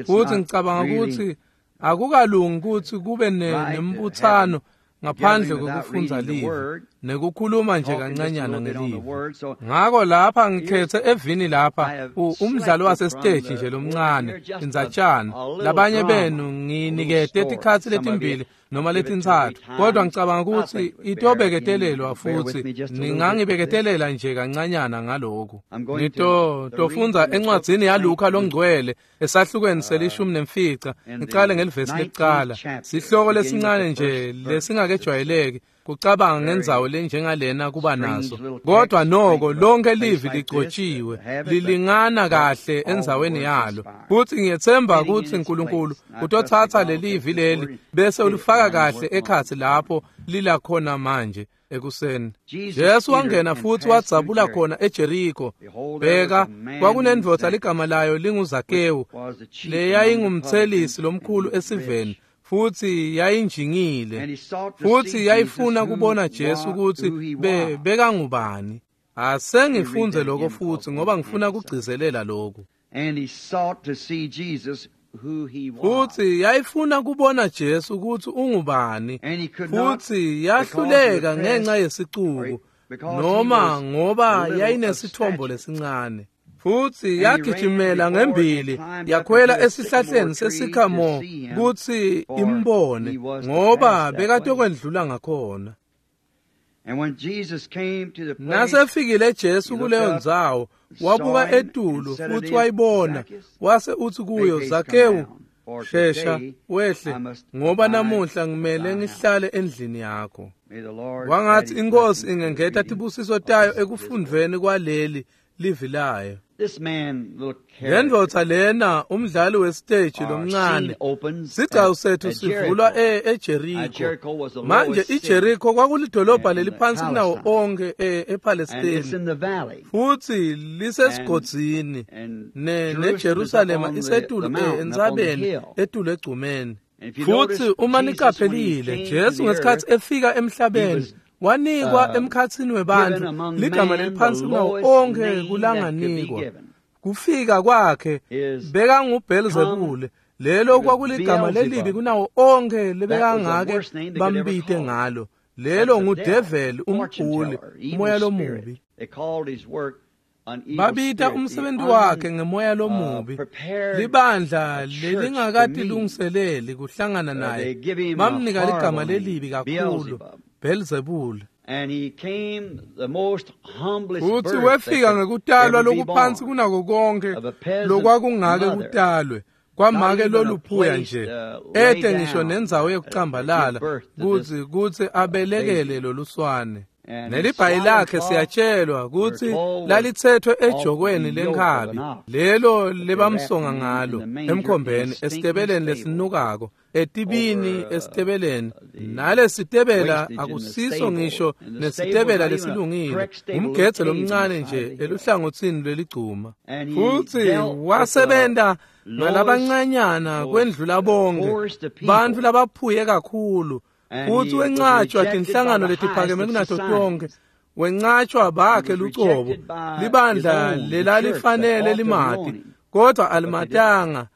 Speaker 1: Futsi ngicabanga kutsi akukalungi kutsi kube nembutsano ngaphandle kwekufundza livi nekukhuluma nje kancanyana ngelivi. Ngako lapha ngikhethe evini lapha umdlalo wasesiteji nje lomncane, indzatshana. Labanye benu nginikete tikhatsi letimbili noma letintsatfu, kodwa ngicabanga kutsi itobeketelelwa futsi ningangibeketelela nje kancanyana ngaloku. Ngitofundza encwadzini yaLuka longcwele esahlukweni se-15, ngicale ngelivesi lekucala. Sihloko lesincane nje lesingakejwayeleki. kucabanga ngendzawo lenjengalena kuba naso. Kodwa noko lonke livi ligcotshiwe, lilingana kahle endzaweni yalo. Futhi ngiyethemba ukuthi uNkulunkulu utotsatsa lelivi leli bese ulifaka kahle ekhatsi lapho lila khona manje ekuseni. Jesu wangena futhi wadzabula khona eJeriko. Bheka, kwakunendvodza ligama layo linguZakewu, leyayingumthelisi lomkhulu esiveni, futhi yayinjingile, futhi yayifuna kubona Jesu ukuthi bekangubani. Asengifunze lokho futhi ngoba ngifuna kugcizelela lokhu. Futhi yayifuna kubona Jesu ukuthi ungubani, futhi yahluleka ngenxa yesicuku noma ngoba yayinesithombo lesincane. Futhi yagijimela ngembili yakhwela esihlahleni sesikhamo kuthi imbone ngoba bekatokwendlula ngakhona. Nasefikile Jesu kuleyo ndzawo, wabuka etulu futhi wayibona, wase uthi kuyo, Zakewu, shesha wehle, ngoba namuhla ngimele ngihlale endlini yakho. Wangathi inkosi ingengeta tibusiso tayo ekufundveni kwaleli livi layo. Lendvodza lena umdlali wesiteji lomncane, sigcawu sethu sivulwa eJeriko. Manje iJeriko kwakulidolobha leliphansi kunawo onke ePalestine, futhi lisesigodzini neJerusalema isetulu entsabeni etulu egcumeni. Futhi uma niqaphelile, Jesu ngesikhathi efika emhlabeni wanikwa emkhathini webantu ligama leliphansi kunawo onke kulanganikwa. Kufika kwakhe bekanguBhelzebule, lelo kwakuligama lelibi kunawo onke lebekangake bambite ngalo. Lelo ngudeveli, umguli, umoya lomubi. Babita umsebenzi wakhe ngemoya lomubi. Libandla lelingakatilungiseleli kuhlangana naye bamnika ligama lelibi kakhulu, Beelzebul. Futhi wefika ngekutalwa lokuphansi kunako konke lokwakungake kutalwe kwamake loluphuya nje, ete ngisho nendzawo yekucambalala kuthi abelekele loluswane. Nelibhayi lakhe siyatshelwa ukuthi lalithethwe ejokweni lenkhabi lelo lebamsonga ngalo emkhombeni esitebeleni lesinukako etibini esitebeleni. Nalesitebela akusiso ngisho nesitebela lesilungile, umgedze lomncane nje eluhlangothini lweligcuma. Futhi wasebenta ngalabancanyana kwendlula bonke bantfu labaphuye kakhulu. Futhi wencatshwa tinhlangano letiphakeme kunato tonke, wencatshwa bakhe lucobo, libandla lelalifanele limati, kodwa alimatanga.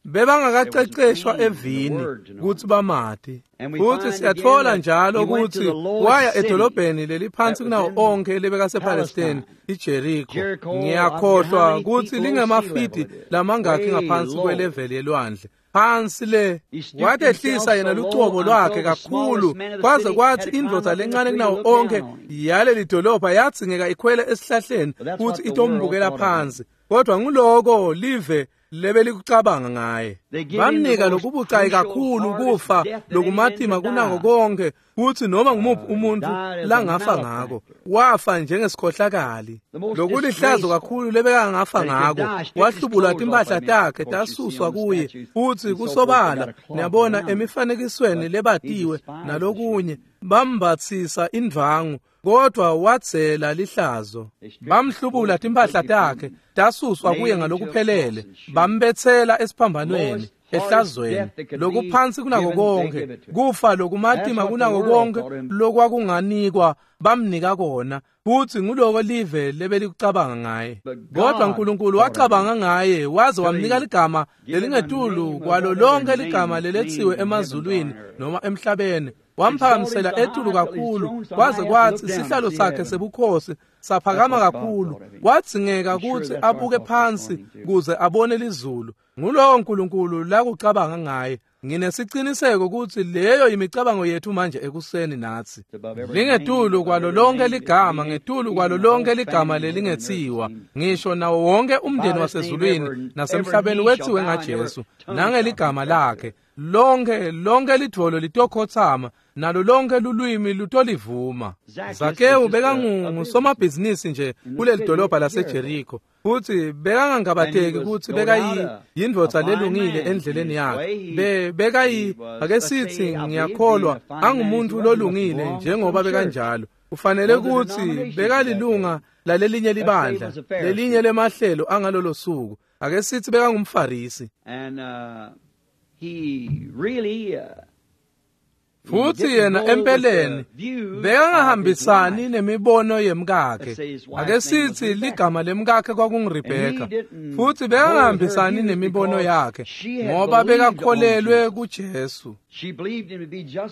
Speaker 1: Bebangakaqeqeshwa evini kuthi bamati. Futhi siyathola njalo ukuthi waya edolobheni leliphansi kunawo onke lebekasePalestine, iJeriko. Ngiyakhohlwa ukuthi lingemafidi lamangakhi ngaphansi kweleveli yelwandle. Phansi le watehlisa yena lucobo lwakhe kakhulu kwaze kwathi indvodza lencane kunawo onke yaleli dolobha yadzingeka ikhwele esihlahleni futhi itombukela phansi. Kodwa nguloko live lebelikucabanga ngaye. Bamnika lokubucayi kakhulu kufa lokumatima kunako konke kuthi noma ngumuphi umuntu langafa ngako. Wafa njengesikhohlakali, lokulihlazo kakhulu lebekangafa ngako. Wahlubulwa timpahla takhe tasuswa kuye, futhi kusobala niyabona emifanekisweni lebatiwe nalokunye bambatsisa indvangu, kodwa wadzela lihlazo. Bamhlubula timpahla takhe tasuswa kuye ngalokuphelele, bambetsela esiphambanweni ehlazweni lokuphansi kunako konke, kufa lokumatima kunako konke lokwakunganikwa bamnika kona. Futhi nguloko live lebelikucabanga ngaye. Kodwa uNkulunkulu wacabanga ngaye waze wamnika ligama lelingetulu kwalo lonke ligama leletsiwe emazulwini noma emhlabeni. Wamphakamisela etulu kakhulu kwaze kwathi sihlalo sakhe sebukhosi saphakama kakhulu, wadzingeka ukuthi abuke phansi kuze abone lizulu. Ngulowo uNkulunkulu lakucabanga ngaye. Nginesiqiniseko ukuthi leyo imicabango yethu manje ekuseni nathi. Lingetulu kwalo lonke ligama, ngetulu kwalo lonke ligama lelingethiwa, ngisho nawo wonke umndeni wasezulwini nasemhlabeni wethiwe ngaJesu nangeligama lakhe. Lonke lidvolo litokhotsama nalo lonke lulwimi lutolivuma. Zakewu bekangusomabhizinisi nje kuleli dolobha laseJeriko, futhi bekangangabateki kutsi bekayindvodza lelungile endleleni yakhe. Bekayi, ake sithi ngiyakholwa, angumuntu lolungile njengoba bekanjalo. Kufanele kutsi bekalilunga lalelinye libandla, lelinye lemahlelo angalolo suku. Ake sithi bekangumFarisi. Futhi yena empeleni bekangahambisani nemibono yemkakhe. Ake sithi ligama lemkakhe kwakunguRebheka, futhi bekangahambisani nemibono yakhe ngoba bekakholelwe kuJesu.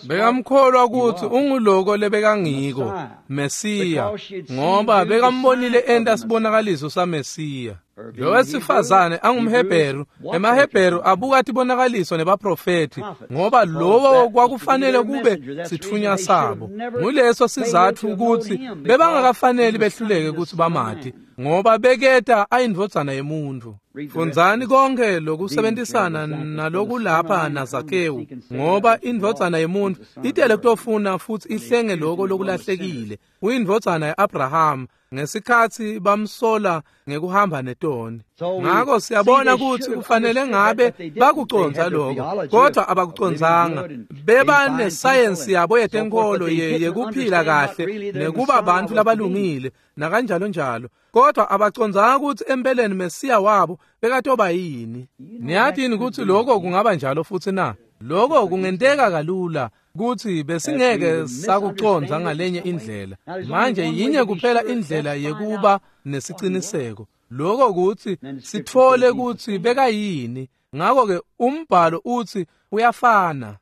Speaker 1: Bekamkholwa kutsi unguloko lebekangiko, Mesiya, ngoba bekambonile enta sibonakaliso saMesiya. Lo wesifazane angumHebheru, emaHebheru abuka tibonakaliso nebaprofethi, ngoba lowo kwakufanele kube sitfunywa sabo. Nguleso sizatfu kutsi bebangakafaneli behluleke kutsi bamati, ngoba beketa ayindvodzana yemuntfu. Fundzani konke lokusebenzisana nalokulapha naZakewu, ngoba indvodzana yemuntfu itele kutofuna futhi ihlenge loko lokulahlekile. Uyindvodzana ya-Abraham ngesikhatsi bamsola ngekuhamba netoni. Ngako siyabona kutsi kufanele ngabe bakucondza lokho, kodwa abakucondzanga. Beba nesayensi yabo yetenkolo yekuphila kahle nekuba bantfu labalungile nakanjalo njalo, kodwa abacondzanga kutsi empeleni Mesiya wabo bekatoba yini. Niyati kutsi lokho kungaba njalo futhi na? Lokho kungenteka kalula kutsi besingeke sakucondza ngalenye indlela. Manje yinye kuphela indlela yekuba nesiciniseko, lokho kutsi sitfole kutsi bekayini. Ngakho-ke umbhalo utsi uyafana.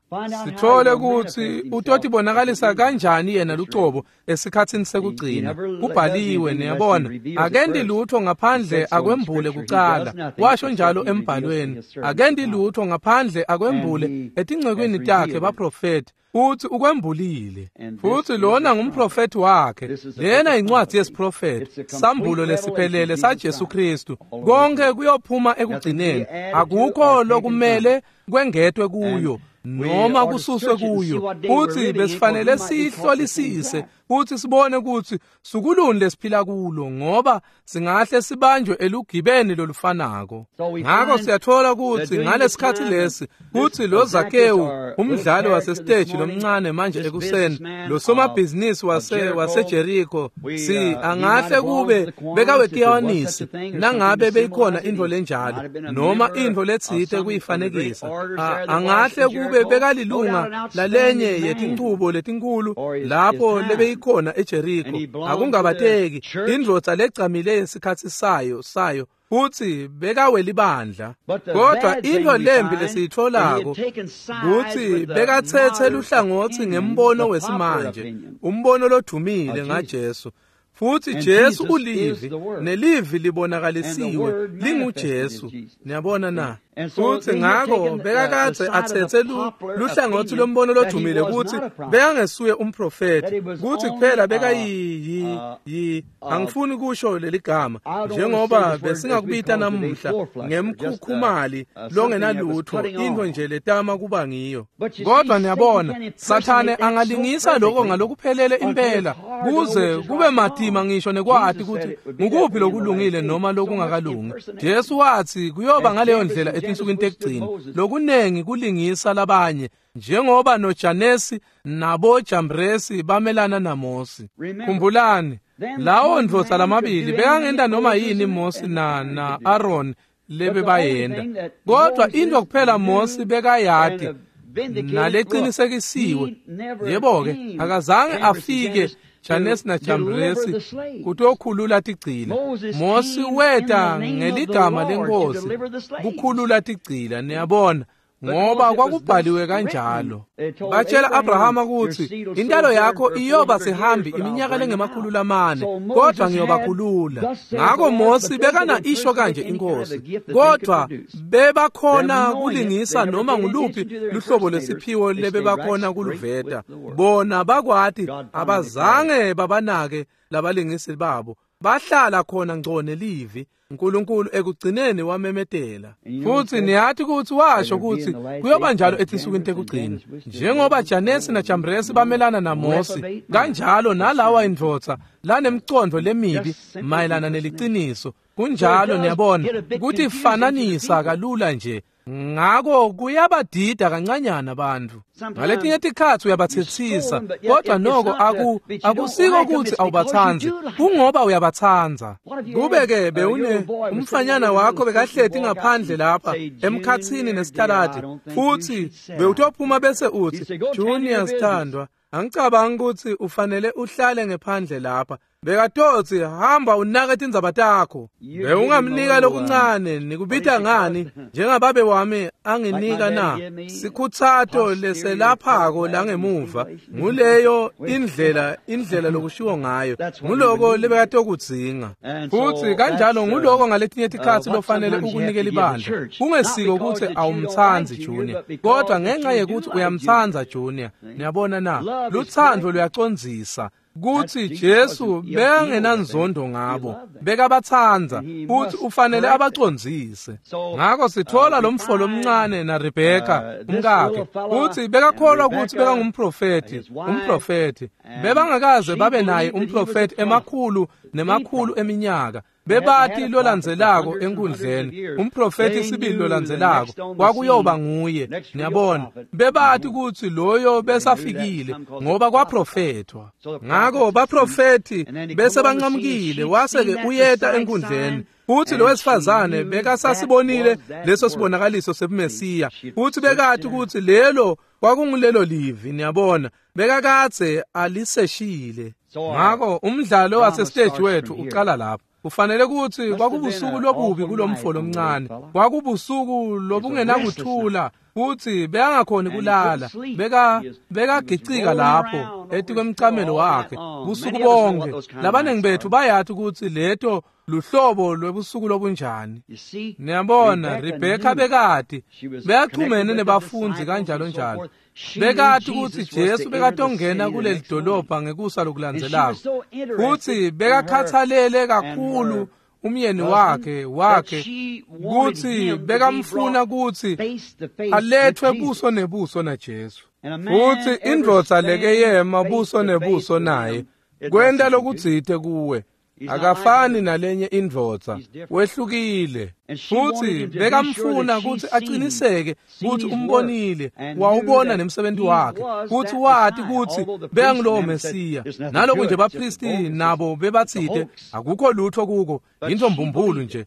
Speaker 1: Sitfole kutsi utotibonakalisa kanjani yena lucobo esikhatsini sekugcina. Kubhaliwe, niyabona, akenti lutho ngaphandle akwembule kucala. Washo njalo embhalweni, akenti lutho ngaphandle akwembule etincekwini takhe baprofethi. Uthi ukwembulile. Futhi lona ngumprofethi wakhe. Lena incwadi yesiprofethi, sambulo lesiphelele saJesu Kristu. Konke kuyophuma ekugcineni. Akukho lokumele kwengetwe kuyo noma kususwe kuyo. Uthi besifanele sihlolisise futhi sibone kutsi sukuluni lesiphila kulo, ngoba singahle sibanjwe elugibeni lolufanako. Ngako siyathola kutsi ngalesikhatsi lesi kutsi lo Zakewu, umdlali wasesiteji lomncane manje ekuseni, lo somabhizinisi waseJeriko, si angahle kube bekawekiyanisi nangabe beyikhona intfo lenjalo noma intfo letsite kuyifanekisa. Angahle kube bekalilunga lalenye yetinchubo letinkhulu lapho lebeyikhona eJeriko. Akungabateki indvodza legcamile yesikhatsi sayo futhi bekawelibandla. Kodwa into lembi lesiyitfolako kutsi bekatsetse luhlangotsi ngembono wesimanje, umbono lodumile ngaJesu. Futhi Jesu ulivi, nelivi libonakalisiwe linguJesu. Niyabona na? Futhi ngako bekakadze atsetse luhlangotsi lombono lodumile kutsi bekangesuye umprofethi, kutsi kuphela bekayi angifuni kusho leligama njengoba besingakubita namuhla ngemkhukhumali longenalutho, into nje letama kuba ngiyo. Kodwa niyabona, Sathane angalingisa lokho ngalokuphelele impela kuze kube matima ngisho nekwati kutsi ngukuphi lokulungile noma lokungakalungi. Jesu wathi kuyoba ngaleyo ndlela etinsukwini tekugcina, lokunengi kulingisa labanye, njengoba noJanesi naboJambresi bamelana naMosi. Khumbulani, lawo ndvodza lamabili bekangenta noma yini Mosi na Aaron lebebayenda, kodwa into kuphela Mosi bekayati naleqinisekisiwe, yebo-ke, akazange afike Janesi na Jambresi kutokhulula tigcila. Mosi weta ngeligama lenkosi kukhulula tigcila, niyabona, ngoba kwakubhaliwe kanjalo. Batshela Abrahama kutsi intalo yakho iyoba sihambi iminyaka lengemakhulu lamane, kodwa ngiyobakhulula. Ngako Mosi bekana isho kanje inkosi, kodwa bebakhona kulingisa noma nguluphi luhlobo lesiphiwo lebebakhona kuluveta. Bona bakwati, abazange babanake labalingisi babo. Bahlala khona ngco nelivi. uNkulunkulu ekugcineni wamemetela. Futhi niyathi ukuthi washo ukuthi kuyoba njalo etinsukwini tekugcina. Njengoba Janesi naJambresi bamelana naMose, kanjalo nalawa indvodza lanemcondo lemibi mayelana neliciniso. Kunjalo niyabona ukuthi fananisa kalula nje. Ngako kuyabadida kancanyana abantu. Ngaletinye tikhatsi uyabathethisa, kodwa noko akusiko ukuthi awubatsandzi, kungoba uyabatsandza. Kube-ke bewune umfanyana wakho bekahleti ngaphandle lapha emkhatsini nesitaladi, futhi bewutophuma bese uthi, Junior sithandwa, angicabangi ukuthi ufanele uhlale ngephandle lapha. Bekatotsi hamba unake tindzaba takho. Bewungamnika lokuncane, nikubita ngani njengababe wami anginika na sikhuthato leselaphako la ngemuva. Nguleyo indlela lokushiwo ngayo, nguloko lebekatokudzinga. Futhi kanjalo nguloko ngaletinye tikhatsi lofanele ukunikela ibandla. Kungesiko ukuthi awumtsandzi Junior, kodwa ngenxa yekuthi uyamtsandza Junior. Niyabona na, lutsandvo luyacondzisa. Kuthi Jesu bekangenanzondo ngabo, bekabatsandza, futhi ufanele abacondzise. Ngako sithola lo mfo lomncane na Rebeka umkakhe, futhi bekakholwa ukuthi bekangumprofeti, umprofeti. Bebangakaze babe naye umprofeti emakhulu nemakhulu eminyaka. Bebati lolandzelako enkundleni, umprofeti sibili lolandzelako kwakuyoba nguye. Niyabona, bebati ukuthi loyo besafikile ngoba kwaprofethwa. Ngako baprofeti bese banqamukile, wase-ke uyeta enkundleni. Futhi lo wesifazane bekasasibonile leso sibonakaliso sebuMesiya, futhi bekati ukuthi lelo kwakungulelo livi. Niyabona, bekakadze aliseshile. Ngako umdlalo wasestage wethu uqala lapho. Kufanele ukuthi kwakubusuku lobubi kulomfo lomncane, kwakubusuku lobungenakuthula, futhi bekangakhoni kulala. Bekagicika lapho etikwemcamelo wakhe busuku bonke. Labaningi bethu bayathi ukuthi leto luhlobo lwebusuku lobunjani. Niyabona, Rebeka bekati beyachumene nebafundi kanjalo njalo. Bekati ukuthi Jesu bekatongena kuleli dolobha ngekusa lokulandzelako, futhi bekakhathalele kakhulu umyeni wakhe ukuthi bekamfuna ukuthi alethwe buso nebuso naJesu. Futhi indvodza leke yema buso nebuso naye kwenta lokutsite kuwe. Akafani nalenye indvodza, wehlukile. Futhi bekamfuna ukuthi aqiniseke ukuthi umbonile, wawubona nemsebenzi wakhe, futhi wati ukuthi bekangulowo Mesiya. Naloku nje bapristi nabo bebatsite akukho lutho kuko, into mbumbulu nje,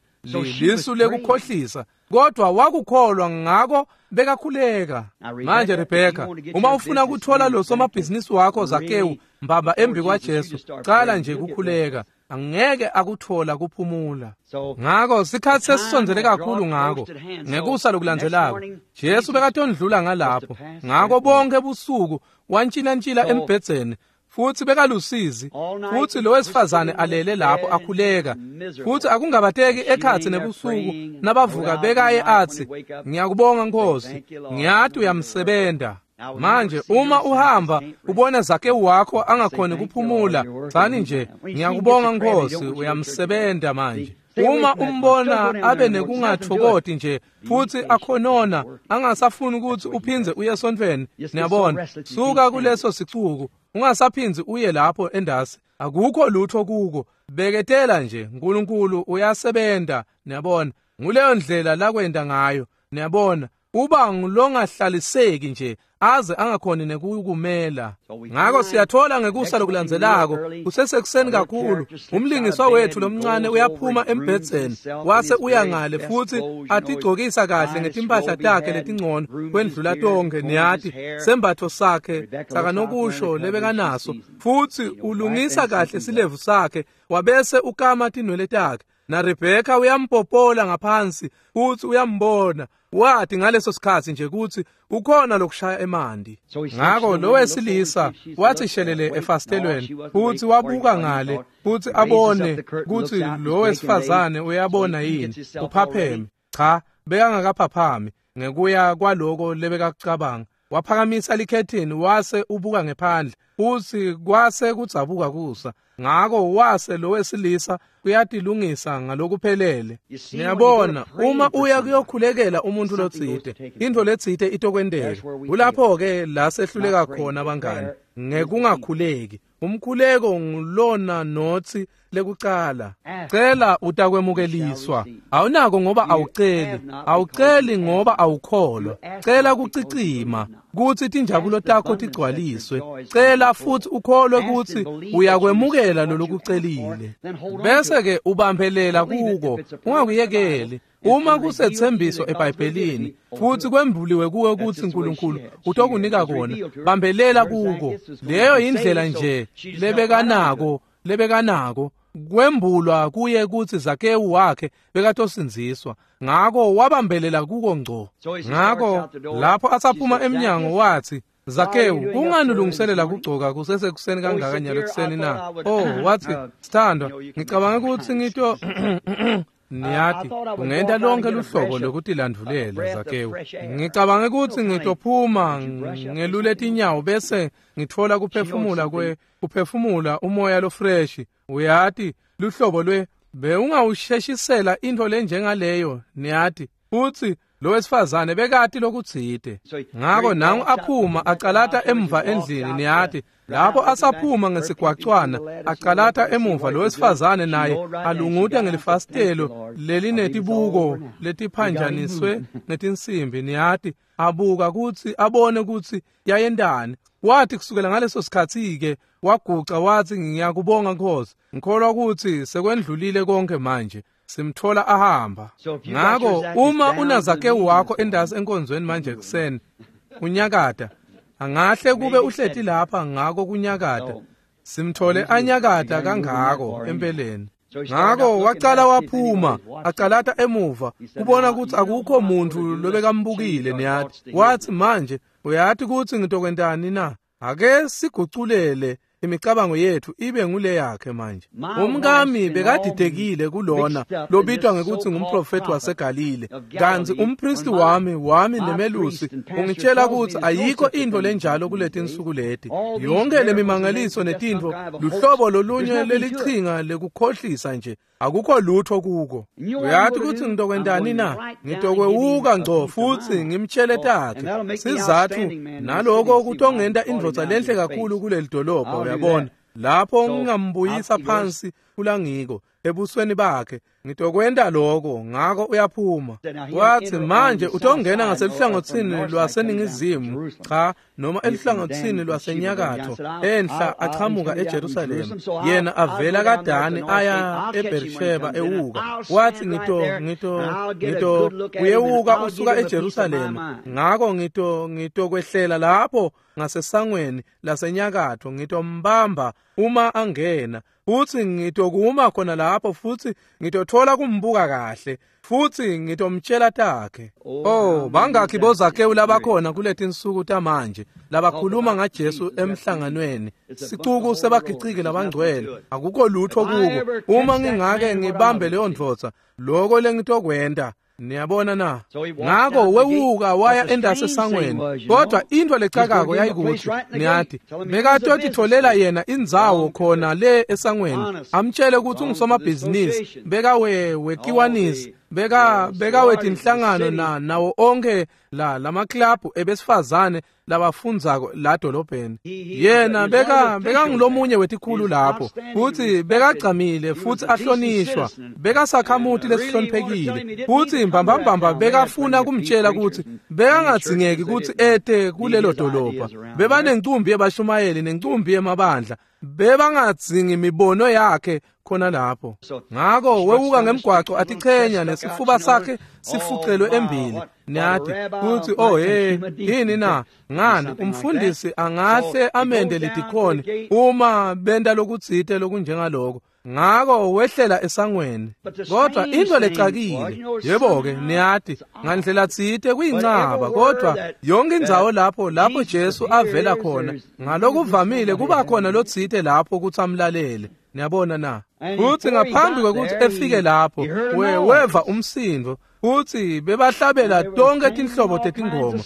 Speaker 1: lisu lekukhohlisa. Kodwa wakukholwa, ngako bekakhuleka. Manje Rebeka, uma ufuna kuthola lo somabhizinisi wakho Zakewu mbamba embi kwaJesu, cala nje kukhuleka. Angeke akuthola kuphumula. Ngako sikhatsi sesisondzele kakhulu. Ngako ngekusa lokulandzelako Jesu bekatondlula ngalapho. Ngako bonke busuku wantshilantshila embhedzeni, futhi bekalusizi, futhi lo wesifazane alele lapho akhuleka. Futhi akungabateki ekhatsi nebusuku nabavuka bekaye athi, ngiyakubonga Nkosi, ngiyati uyamsebenta. Manje uma uhamba ubona Zakewu wakho angakhoni kuphumula, tsani nje, ngiyakubonga Nkosi, uyamsebenta manje. Uma umbona abe nekungathokoti nje futhi akhonona angasafuni ukuthi uphindze uye esontfweni, niyabona, suka kuleso sicuku, ungasaphindzi uye lapho endasi, akukho lutho kuko. Beketela nje, uNkulunkulu uyasebenta. Niyabona, nguleyo ndlela lakwenta ngayo. Niyabona, uba ngulongahlaliseki nje aze angakhoni nekukumela. Ngako siyathola ngekusa lokulandzelako kusesekuseni kakhulu, umlingiswa wethu lomncane uyaphuma embhedzeni wase uya ngale futhi atigcokisa kahle ngetimpahla takhe letingcono kwendlula tonke, niyati, sembatfo sakhe sakanokusho lebekanaso, futhi ulungisa kahle silevu sakhe, wabese ukama tinwele takhe. Na Rebeka uyampopola ngaphansi futhi uyambona, wathi ngaleso sikhatsi nje ukuthi ukhona lokushaya emanti. Ngako lo wesilisa wathi shelele efasitelweni futhi wabuka ngale futhi abone ukuthi lo wesifazane uyabona yini, uphapheme. Cha, bekangakaphaphami ngekuya kwaloko lebekakucabanga. Waphakamisa likhethini wase ubuka ngephandle, futsi kwase kudzabuka kusa. Ngako wase lowesilisa uyatilungisa ngalokuphelele. Niyabona, uma uya kuyokhulekela umuntu lotsite, intfo letsite itokwenteka. Kulapho-ke la sehluleka khona bangani, ngekungakhuleki. Umkhuleko ngulona notsi lekucala. Cela utakwemukeliswa. Awunako ngoba awuceli. Awuceli ngoba awukholwa. Cela kucicima kutsi tinjabulo takho tigcwaliswe. Cela futsi ukholwe kutsi uyakwemukela lolokucelile. Bese ke ubambelela kuko, ungakuyekeli. Uma kusethembiso eBhayibhelini futhi kwembuliwe kuwe kutsi uNkulunkulu utokunika kona, bambelela kuko. Leyo indlela nje lebekanako kwembulwa kuye kutsi Zakewu wakhe bekatosindziswa. Ngako wabambelela kuko ngco. Ngako lapho asaphuma emnyango wathi, Zakewu, kungani ulungiselela kugcoka kusesekuseni kangaka nyalo ekuseni na? Oh, wathi, sithandwa, ngicabanga kutsi ngito niyati, ungenta lonke luhlobo lokutilandvulela Zakewu. Ngicabanga kutsi ngitophuma ngelule tinyawo bese ngitfola kuphefumula kuphefumula umoya lofresh. Uyati, luhlobo lwe bewungawusheshisela intfo lenjengaleyo, niyati. Futsi lowesifazane bekati lokutsite. Ngako nangu aphuma acalata emva endlini, niyati. Lapho asaphuma ngesigwacwana acalata emuva, lowesifazane naye alunguta ngelifasitelo lelinetibuko letiphanjaniswe ngetinsimbi, niyati, abuka kutsi abone kutsi yayentani. Wathi kusukela ngaleso sikhatsi-ke waguca wathi, ngiyakubonga Nkosi, ngikholwa kutsi sekwendlulile konke manje. Simthola ahamba. Ngako uma unaZakewu wakho endasi enkonzweni manje ekuseni unyakata, angahle kube uhleti lapha ngako kunyakata. Simthole anyakata kangako empeleni. Ngako wacala waphuma acalata emuva kubona kutsi akukho muntu lobekambukile, niyati. Wathi, manje uyati kutsi ngitokwentani na? Ake siguculele imicabango yethu ibe ngule yakhe manje. Umkami bekadidekile kulona lobitwa ngekuthi ngumprofeti waseGalile, kantsi umpristi wami nemelusi ungitshela kutsi ayikho intfo lenjalo kuletinsuku leti. Yonke lemimangaliso netintfo luhlobo lolunye lelichinga lekukhohlisa nje, akukho lutho kuko. Uyati kutsi ngitokwentani na? Ngitokwewuka ngco futsi ngimtshele takhe sizatfu, naloko kutongenta indvodza lenhle kakhulu kuleli dolobha, uyabona. Lapho ngingambuyisa phansi kulangiko ebusweni bakhe, ngitokwenta lokho. Ngako uyaphuma. Wathi, manje utongena ngaseluhlangotsini lwaseningizimu, cha, noma eluhlangotsini lwasenyakatho, enhla achamuka eJerusalema. Yena avela kaDani aya eBersheba ewuka. Wathi, ngito uyewuka usuka eJerusalema. Ngako ngitokwehlela lapho ngasesangweni lasenyakatho, ngitombamba uma angena, futsi ngitokuma khona lapho, futsi ngitothola kumbuka kahle, futsi ngitomtshela takhe. Oh, bangakhi boZakewu labakhona kuletinsuku tamanje labakhuluma ngaJesu emhlanganweni? Sicuku sebagiciki labangcwele, akukho lutho kuko. Uma ngingake ngibambe leyo ndvodza, loko lengitokwenta. Niyabona na? Ngako wewuka waya endase esangweni. Kodwa intfo lecakako yayikuthi, niyati, bekatotitfolela yena indzawo khona le esangweni, amtshele kutsi ungusomabhizinisi, bekawekiwanisi, bekawetinhlangano nawo onke la lamaklabhu ebesifazane labafundzako la dolobheni. Yena bekangulomunye wetikhulu lapho, futsi bekagcamile futsi ahlonishwa, bekasakhamuti lesihloniphekile, futsi mbambambamba bekafuna kumtshela kutsi bekangadzingeki kutsi ete kulelo dolobha. Bebanencumbi yebashumayeli nencumbi yemabandla, bebangadzingi imibono yakhe khona lapho. Ngako wewuka ngemgwaco atichenya nesifuba sakhe sifucelwe embili, niyati, kutsi oh hey, yini na? Ngani, umfundisi angahle amende ledikhoni uma benta lokutsite lokunjengaloko. Ngako wehlela esangweni. Kodwa into lecakile, yebo-ke, niyati, ngandlela tsite kuyincaba, kodwa yonke indzawo lapho Jesu avela khona, ngalokuvamile kuba khona lotsite lapho kutsi amlalele. Niyabona na? Futsi ngaphambi kwekutsi efike lapho, weva umsindvo. Futsi bebahlabela tonke tinhlobo tetingoma,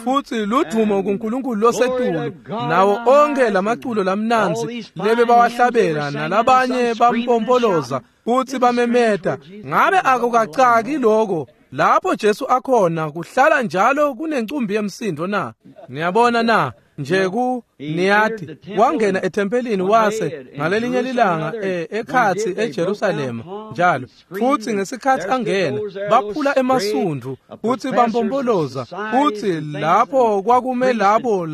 Speaker 1: futsi ludvumo kuNkulunkulu losetulu, nawo onkhe lamaculo lamnandzi lebe bawahlabela, nalabanye bampompoloza futsi bamemeta. Ngabe akukacaki lokho? Lapho Jesu akhona kuhlala njalo kunencumbi yemsindo na? Niyabona na? Nje ku niyati wangena ethempelini wase ngalelinye lilanga ekhatsi eJerusalema njalo, futsi ngesikhatsi angena baphula emasundvu futsi bampompoloza, futsi lapho kwakume labo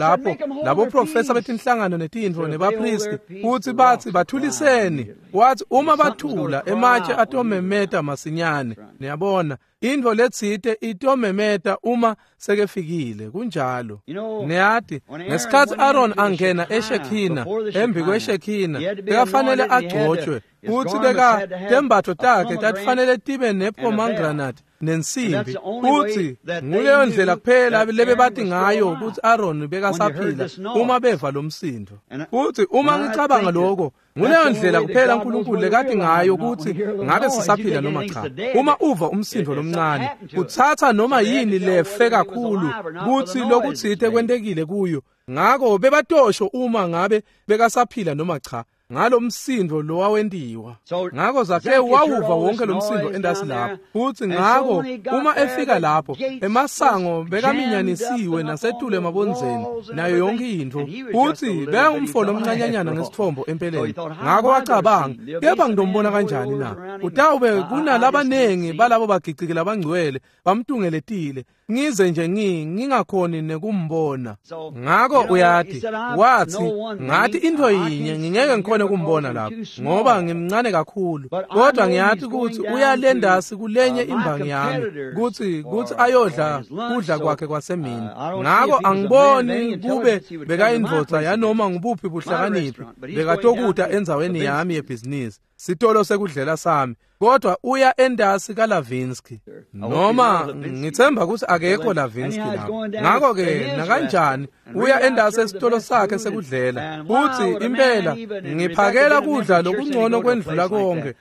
Speaker 1: labo professor betinhlangano netintfo nebapristi, futsi batsi bathuliseni. Wathi uma bathula ematshe atomemeta masinyane. Niyabona, intfo letsite itomemeta uma sekefikile. Kunjalo. Niyati ngesikhatsi Aaron angena eShekhina, embi kweShekhina, bekafanele agcotshwe, futsi beka tembatfo takhe tatifanele tibe nepomegranate nensimbi, futsi nguleyo ndlela kuphela lebebati ngayo kutsi Aaron bekasaphila uma beva lo msindo. Futsi uma ngicabanga lokho, nguleyo ndlela kuphela uNkulunkulu lekati ngayo kutsi ngabe sisaphila noma cha. Uma uva umsindo lomncane, utsatsa noma yini lefe kakhulu kutsi lokutsite kwentekile kuyo. Ngako bebatosho uma ngabe bekasaphila noma cha ngalomsindo lowawentiwa. Ngako Zakhewu wawuva wonke lomsindo endasi lapho, futsi ngako uma efika lapho emasango bekaminyanisiwe nasetulu emabondzeni nayo yonke intfo, futsi bekangumfo lomncanyanyana ngesitfombo empeleni. Ngako wacabanga, kepha ngidombona kanjani na? Utawube kunalabanengi balabo bagiciki labangcwele bamtungeletile, ngize nje ngingakhoni nekumbona. Ngako uyati, wathi ngathi intfo yinye ngingeke ngikhone kumbona lapho ngoba ngimncane kakhulu, kodwa ngiyati kutsi uyalendasi kulenye imbangi yami kutsi ayodla kudla kwakhe kwasemini. Ngako angiboni kube bekayindvodza yanoma ngubuphi buhlakaniphi bekatokuta endzaweni yami yebhizinisi, sitolo sekudlela sami, kodwa uya endasi kaLavinsky, noma ngithemba ukuthi akekho Lavinsky lapho. Ngako ke nakanjani uya endasi esitolo sakhe sekudlela, futsi impela ngiphakela kudla lokungcono kwendlula konke.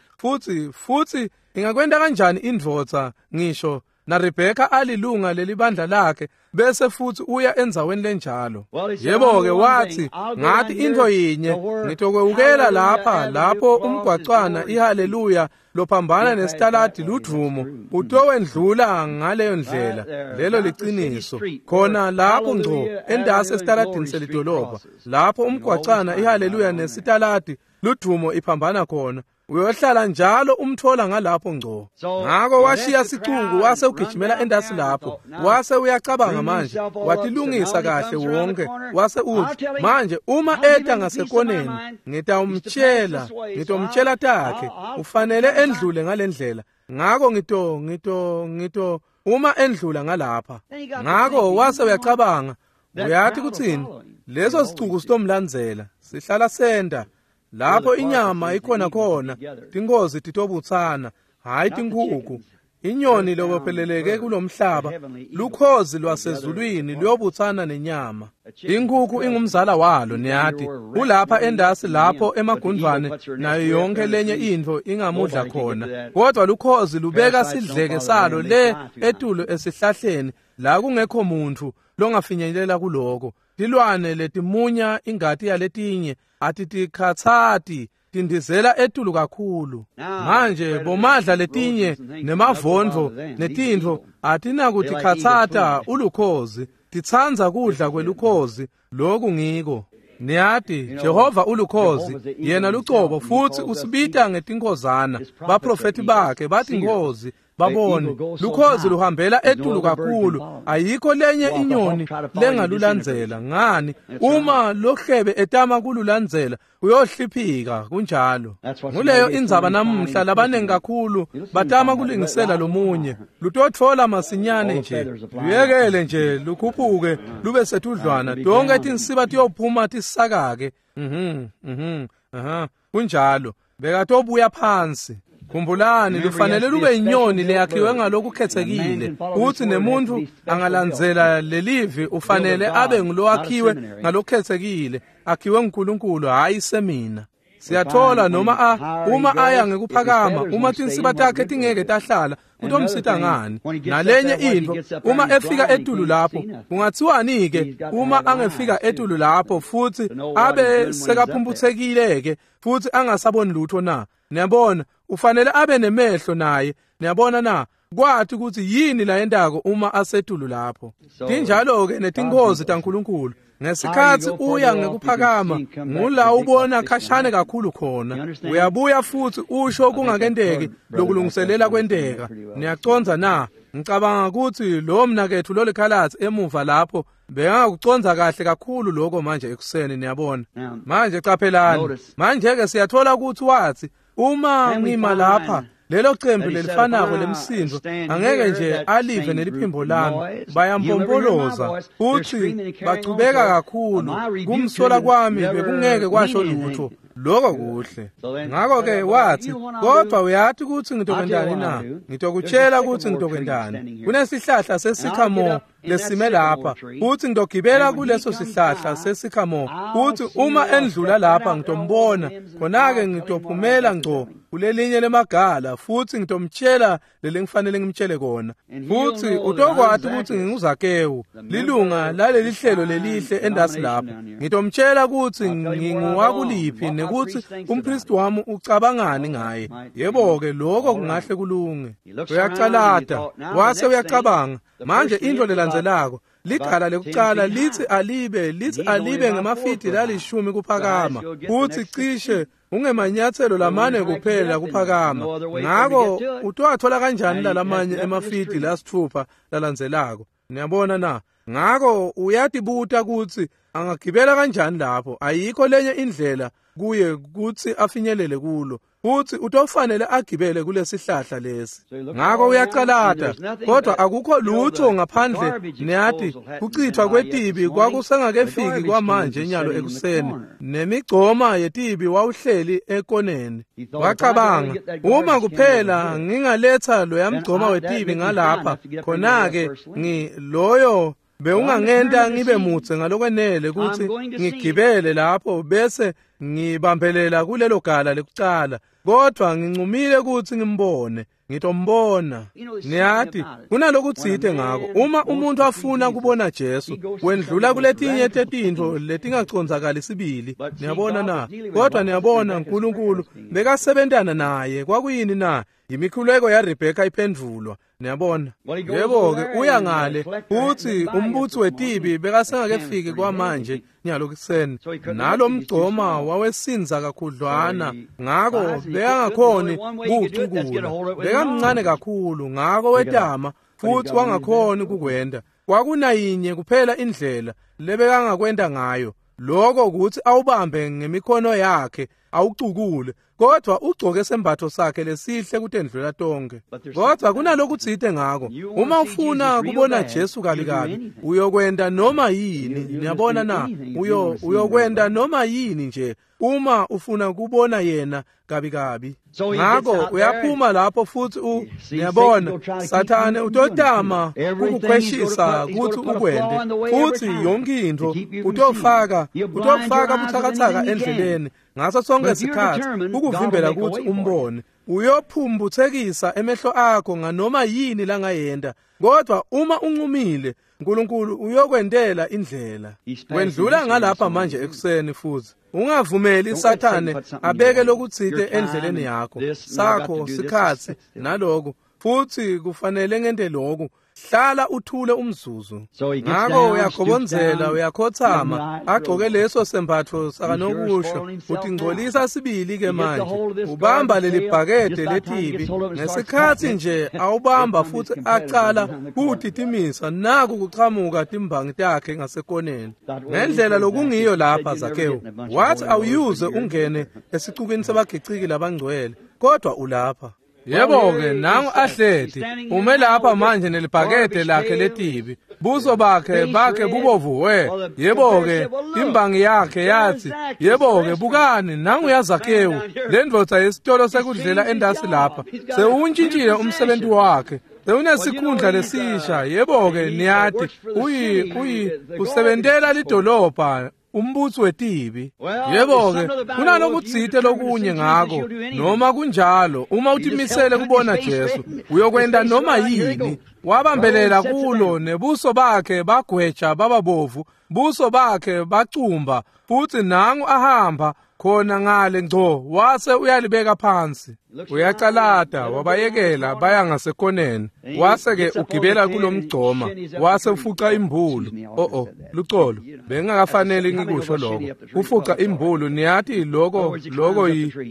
Speaker 1: Futsi ingakwenta kanjani indvodza ngisho na Rebecca alilunga lelibandla lakhe bese futhi uya endzaweni lenjalo? Yebo-ke wathi ngathi intfo yinye, ngitokwewukela lapha lapho umgwacwana iHaleluya lophambana nesitaladi ludvumo utowendlula ngaleyo ndlela. Lelo liciniso. Khona lapho ngco endasi esitaladini selidolobha lapho umgwacwana iHaleluya nesitaladi ludvumo iphambana khona, uyohlala njalo umthola ngalapho ngco. Ngako washiya sicuku wase ugijimela endasi lapho, wase uyacabanga manje, watilungisa kahle wonke, wase uthi manje uma eta ngasekoneni ngitawumtshela, ngitomtshela takhe, ufanele endlule ngalendlela. Ngako ngito uma endlula ngalapha. Ngako wase uyacabanga, uyathi kutsini, leso sicuku sitomlandzela, sihlala senda lapho inyama ikhona khona, tinkozi titobutsana, hayi tinkhukhu. Inyoni lobopheleleke kulomhlaba, lukhozi lwasezulwini luyobutsana nenyama. Inkhukhu ingumzala walo, niyati. Ulapha endasi lapho emagundvwane nayo yonke lenye intfo ingamudla khona, kodwa lukhozi lubeka sidleke salo le etulu esihlahleni la kungekho muntfu longafinyelela kuloko. Tilwane letimunya ingati yaletinye atitikhatsati, tindizela etulu kakhulu. Manje bomadla letinye nemavondvo netintfo atinakutikhatsata ulukhozi, titsandza kudla kwelukhozi. Loku ngiko. Niyati, Jehova ulukhozi, yena lucobo, futsi usibita ngetinkhozana. Baprofeti bakhe bathi nkhozi, babone lukhozi luhambela etulu kakhulu, ayikho lenye inyoni lengalulandzela. Ngani? Uma lohlebe etama kululandzela uyohliphika. Kunjalo. Nguleyo indzaba namuhla, labanengi kakhulu batama kulingisela lomunye, lutotfola masinyane nje, luyekele nje lukhuphuke lube setudlwana, tonke tinsiba tiyophuma tisakake. Kunjalo. Bekatobuya phansi. Khumbulani, lufanele lube inyoni leyakhiwe ngalokukhetsekile, utsi nemuntfu angalandzela lelivi ufanele abe ngulowakhiwe ngalokukhetsekile, akhiwe nguNkulunkulu, hhayi semina. Siyathola noma uma aya ngekuphakama, uma tinsiba takhe tingeke tahlala, kutomsita ngani? Nalenye intfo, uma efika etulu lapho, kungathiwani-ke uma angefika etulu lapho futhi abe sekaphumphutsekile-ke futhi angasaboni lutho na? Niyabona, ufanele abe nemehlo naye. Niyabona na? Kwathi ukuthi yini la yentako uma asetulu lapho. Tinjalo-ke netingozi taNkulunkulu. Ngesikhathi uya ngekuphakama, ngula ubona khashane kakhulu khona. Uyabuya futhi usho kungakenteki lokulungiselela kwenteka. Niyacondza na? Ngicabanga ukuthi lo mnaketfu lolikhalatsi emuva lapho bengakucondza kahle kakhulu lokho manje ekuseni, niyabona. Manje qaphelani. Manje-ke siyathola ukuthi wathi uma ngima lapha, lelo cembu lelifanako lemsindo angeke nje alive neliphimbo lami, bayampompoloza futhi bachubeka kakhulu. Kumsola kwami bekungeke kwasho lutho. Lokho kuhle. Ngakho-ke wathi, kodwa uyathi ukuthi ngitokwentani na? Ngitokutshela ukuthi ngitokwentani. Kunesihlahla sesikhamore lesime lapha, futhi ngitogibela kuleso sihlahla sesikhamore, futhi uma endlula lapha ngitombona, khona-ke ngitophumela ngco kulelinye lemagala, futhi ngitomtshela lelengifanele ngimtshele kona. Futhi utokwati ukuthi nginguZakewu, lilunga laleli hlelo lelihle endasi lapha. Ngitomtshela ukuthi nginguwakuliphi nekuthi umpristi wami ucabangani ngaye. Yebo-ke, lokho kungahle kulunge. Uyacalata, wase uyacabanga. Manje into lelandzelako, ligala lekucala lithi alibe ngemafidi lalishumi kuphakama, futhi cishe ungemanyathelo lamane kuphela kuphakama. Ngako utowathola kanjani lalamanye emafidi lasithupha lalandzelako? Niyabona na? Ngako uyatibuta ukuthi angagibela kanjani lapho. Ayikho lenye indlela kuye kuthi afinyelele kulo, futhi utofanele agibele kulesihlahla lesi. Ngako uyacalata, kodwa akukho lutho ngaphandle. Niyathi kuchithwa kwetibi kwakusengakefiki kwamanje nyalo ekuseni, nemigcoma yetibi wawuhleli ekoneni. Wacabanga, uma kuphela ngingaletha loya mgcoma wetibi ngalapha, khona-ke loyo bewungangenta ngibe mutse ngalokwenele ukuthi ngigibele lapho bese ngibambelela kulelo gala lekucala, kodwa ngincumile ukuthi ngimbone. Ngitombona. Niyathi kunalokutsite ngako, uma umuntu afuna kubona Jesu, wendlula kuletinye tetintfo letingacondzakali sibili. Niyabona na? Kodwa niyabona, uNkulunkulu bekasebentana naye. Kwakuyini na? Imikhuleko yaRebheka iphendvulwa. Niyabona? Yebo-ke, uya ngale futhi umbutsi wetibi bekasengakefiki kwamanje nyalo kuseni, nalo mgcoma wawesinza kakhudlwana, ngako bekangakhoni kuwucukula. Bekamncane kakhulu, ngako wetama futhi wangakhoni kukwenta. Kwakunayinye kuphela indlela lebekangakwenta ngayo, lokho ukuthi awubambe ngemikhono yakhe awucukule, kodwa ugcoke sembatho sakhe lesihle kutendlula tonke. Kodwa kunalokutsite ngako, uma ufuna kubona Jesu kabi kabi, uyokwenta noma yini. Niyabona na? Uyokwenta noma yini nje uma ufuna kubona yena kabi kabi. Ngako uyaphuma lapho futhi niyabona, Sathane utotama kukukhweshisa ukuthi ukwente, futhi yonke intfo utofaka buthakathaka endleleni ngaso sonke sikhathi ukuvimbela ukuthi umbone. Uyophumbuthekisa emehlo akho nganoma yini langayenta, kodwa uma uncumile, uNkulunkulu uyokwentela indlela. Wendlula ngalapha manje ekuseni futhi ungavumeli Sathane abeke lokutsite endleleni yakho, sakho sikhatsi naloku, futhi kufanele ngente lokhu. Hlala uthule umzuzu. Ngako uyagobondzela, uyakhothama, agcoke leso sembatfo sakanokusho, utingcolisa sibili ke manje. Ubamba leli bhakede letibi ngesikhathi nje awubamba futhi acala kutitimisa, naku kuchamuka timbangi takhe ngasekoneni. Ngendlela lokungiyo lapha Zakewu wathi awuyuze ungene esicukini sabagiciki labangcwele, kodwa ulapha. Yebo-ke, nangu ahleti ume lapha manje nelibhakede lakhe letibi, buso bakhe bubovu we. Yebo-ke, imbangi yakhe yathi, yebo-ke, bukani, nangu yaZakewu, le ndvodza yesitolo sekudlela endasi lapha, sewuntshintshile umsebenzi wakhe, sewunesikhundla lesisha. Yebo-ke, niyathi, usebentela lidolobha. Umbutsi wetibi. Yebo-ke, kunalokutsite lokunye ngako. Noma kunjalo, uma utimisele kubona Jesu, uyokwenta noma yini. Wabambelela kulo nebuso bakhe bagweja bababovu, buso bakhe bacumba, futsi nangu ahamba khona ngale ngco wase uyalibeka phansi. Uyacalata, wabayekela baya ngasekoneni. Wase-ke ugibela kulomgcoma, wase ufuca imbulu. Oh, lucolo, bengingakafanele ngikusho lokho. Kufuca imbulu, niyati lokho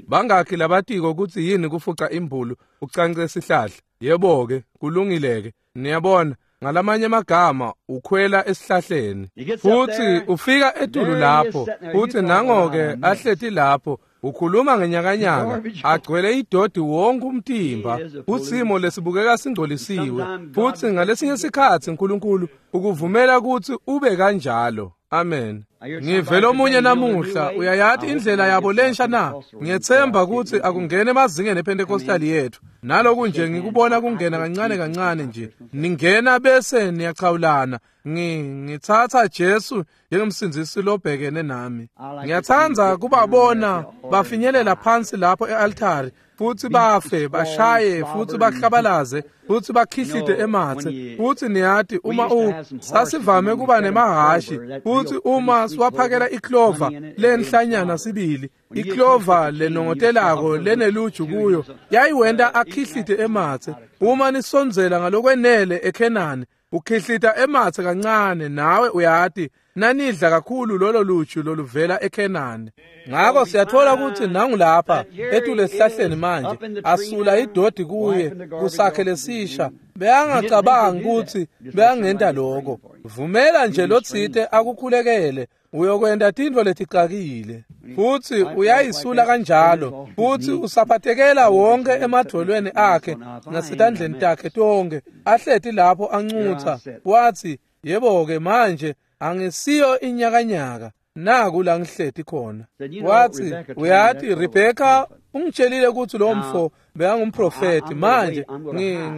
Speaker 1: bangakhi labatiko kutsi yini kufuca imbulu, ucance sihlahla. Yebo-ke, kulungile-ke. Niyabona, ngalamanye amagama ukhwela esihlahleni futsi ufika etulu lapho, futsi nango-ke ahleti lapho, ukhuluma ngenyakanyaka, agcwele idodi wonke umtimba, kusimo lesibukeka singcolisiwe. Futsi ngalesinye sikhatsi uNkulunkulu ukuvumela kutsi ube kanjalo. Amen. Ngive lomunye namuhla, uyayati indlela yabo lensha na? Ngiyetsemba kutsi akungene emazingeni ePentecostal yethu. Naloku nje ngikubona kungena kancane kancane nje. Ningena bese niyachawulana. Ngitsatsa Jesu njengemsindzisi lobhekene nami. Ngiyatsandza kubabona bafinyelela phansi lapho e-altari, futsi bafe, bashaye, futsi bahlabalaze, futsi bakhihlite ematse. Futsi niyati uma sasivame kuba nemahhashi, futsi uma siwaphakela iklova lenhlanyana sibili, iklova lenongotelako leneluju kuyo, yayiwenta akhihlite ematse. Uma nisondzela ngalokwenele eKhenani, ukhihlita ematse kancane, nawe uyati nanidla kakhulu lolo luju loluvela eKhenani. Ngako siyathola ukuthi nangu lapha etule esihlahleni manje asula idodi kuye kusakhe lesisha. Beyangacabangi ukuthi beyangenta lokho. Vumela nje lotsite akukhulekele, uyokwenta tintfo leticakile. Futsi uyayisula kanjalo, futsi usaphatekela wonke emadvolweni akhe nasetandleni takhe tonke, ahleti lapho ancutsa. Watsi, yebo-ke manje angisiyo inyakanyaka, naku la ngihleti khona. Watsi, uyati Rebheka ungitshelile kutsi lo mfo bekangumprofeti, manje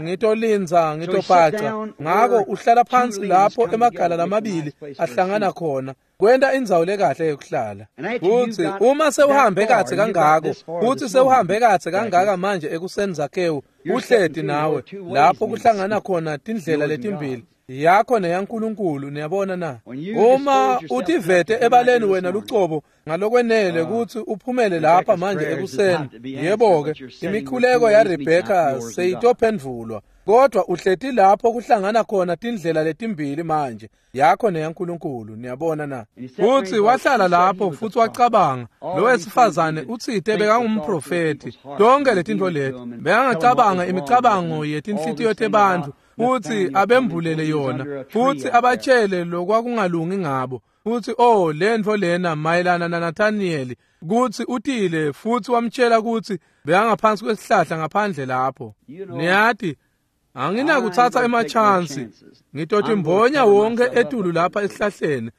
Speaker 1: ngitolinza, ngitobhaca. Ngako uhlala phansi lapho emagala lamabili ahlangana khona, kwenta indzawo lekahle yokuhlala. Futsi uma sewuhambe kahle kangako, futsi sewuhambe kahle kangaka manje ekuseni Zakhewu, uhleti nawe lapho kuhlangana khona tindlela letimbili, yakho neyaNkulunkulu. Niyabona na? Uma utivete ebaleni wena lucobo ngalokwenele kutsi uphumele lapha manje ekuseni, yebo-ke, imikhuleko yaRebheka seyitophendvulwa, kodwa uhleti lapho kuhlangana khona tindlela letimbili manje, yakho neyaNkulunkulu. Niyabona na? Futsi wahlala lapho futsi wacabanga, lo wesifazane utsite bekangumprofeti, tonke letintfo leti bekangacabanga imicabango yetinhlitiyo tebantfu, futsi abembulele yona, futsi abatshele lokwakungalungi ngabo. Futsi oh, lentfo lena mayelana naNathanieli, kutsi utile futsi wamtshela kutsi bekangaphansi kwesihlahla ngaphandle lapho. Niyati, anginakutsatsa emachansi, ngitotimbonya wonke etulu lapha esihlahleni.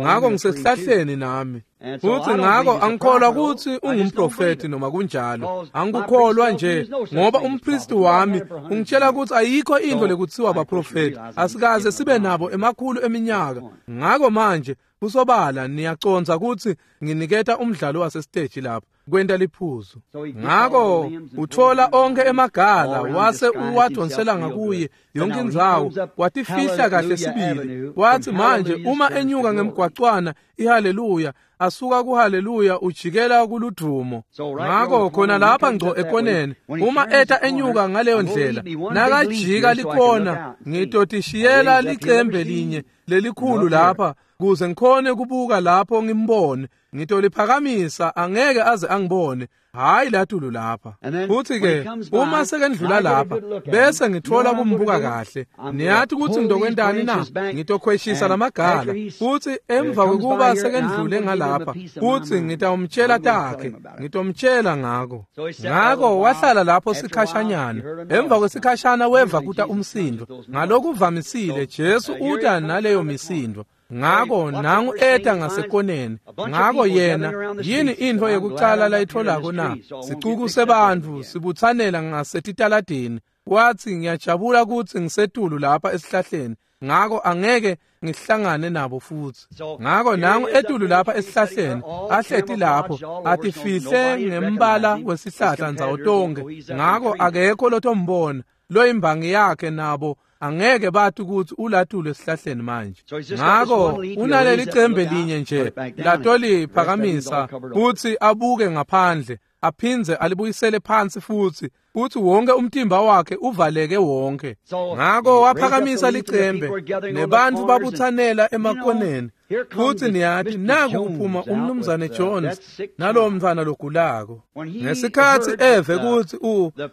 Speaker 1: Ngako ngisesihlahleni nami. Futsi ngako angikholwa kutsi ungumprofeti noma kunjalo. Angikukholwa nje ngoba umpristi wami ungitshela kutsi ayikho intfo lekutsiwa baprofeti. Asikaze sibe nabo emakhulu eminyaka. Ngako manje kusobala niyacondza kutsi nginiketa umdlalo wasesiteji lapha kwenta liphuzu. Ngako uthola onke emagala wase uwadonsela ngakuye yonke indzawo, watifihla kahle sibili. Wathi manje uma enyuka ngemgwacwana iHaleluya, asuka kuHaleluya ujikela kuludumo. Ngako khona lapha ngco ekoneni, uma eta enyuka ngaleyo ndlela, nakajika likona, ngitotishiyela licembe linye lelikhulu lapha kuze ngikhone kubuka lapho ngimbone. Ngitoliphakamisa, angeke aze angibone, hayi latulu lapha. Futhi ke uma sekendlula lapha bese ngithola kumbuka kahle. Niyati kutsi ngitokwentani na? Ngitokhweshisa lamagala, futhi emva kwekuba sekendlule ngalapha, futhi ngitawumtshela takhe, ngitomtshela ngako. Ngako wahlala lapho sikhashanyana. Emva kwesikhashana weva kuta umsindo. Ngalokuvamisile Jesu uta naleyo misindo. Ngako nangu eta ngasekoneni. Ngako yena yini intfo yekucala layitholako na? Sicuku sebantfu sibutsanela ngasetitaladini. Watsi ngiyajabula kutsi ngisetulu lapha esihlahleni. Ngako angeke ngihlangane nabo futsi. Ngako nangu etulu lapha esihlahleni, ahleti lapho, atifihle ngembala wesihlahla ndzawo tonkhe. Ngako akekho lotombona, loyimbangi yakhe nabo angeke bathi ukuthi ulatulu esihlahleni manje. Ngako unaleli cembe linye nje latoliphakamisa kutsi abuke ngaphandle, aphindze alibuyisele phansi futsi, kutsi wonke umtimba wakhe uvaleke wonke. Ngako waphakamisa licembe, nebantfu babutsanela emakoneni. Futsi niyati, naku kuphuma umnumzane Jones nalowo mntfwana logulako. Ngesikhatsi eve kutsi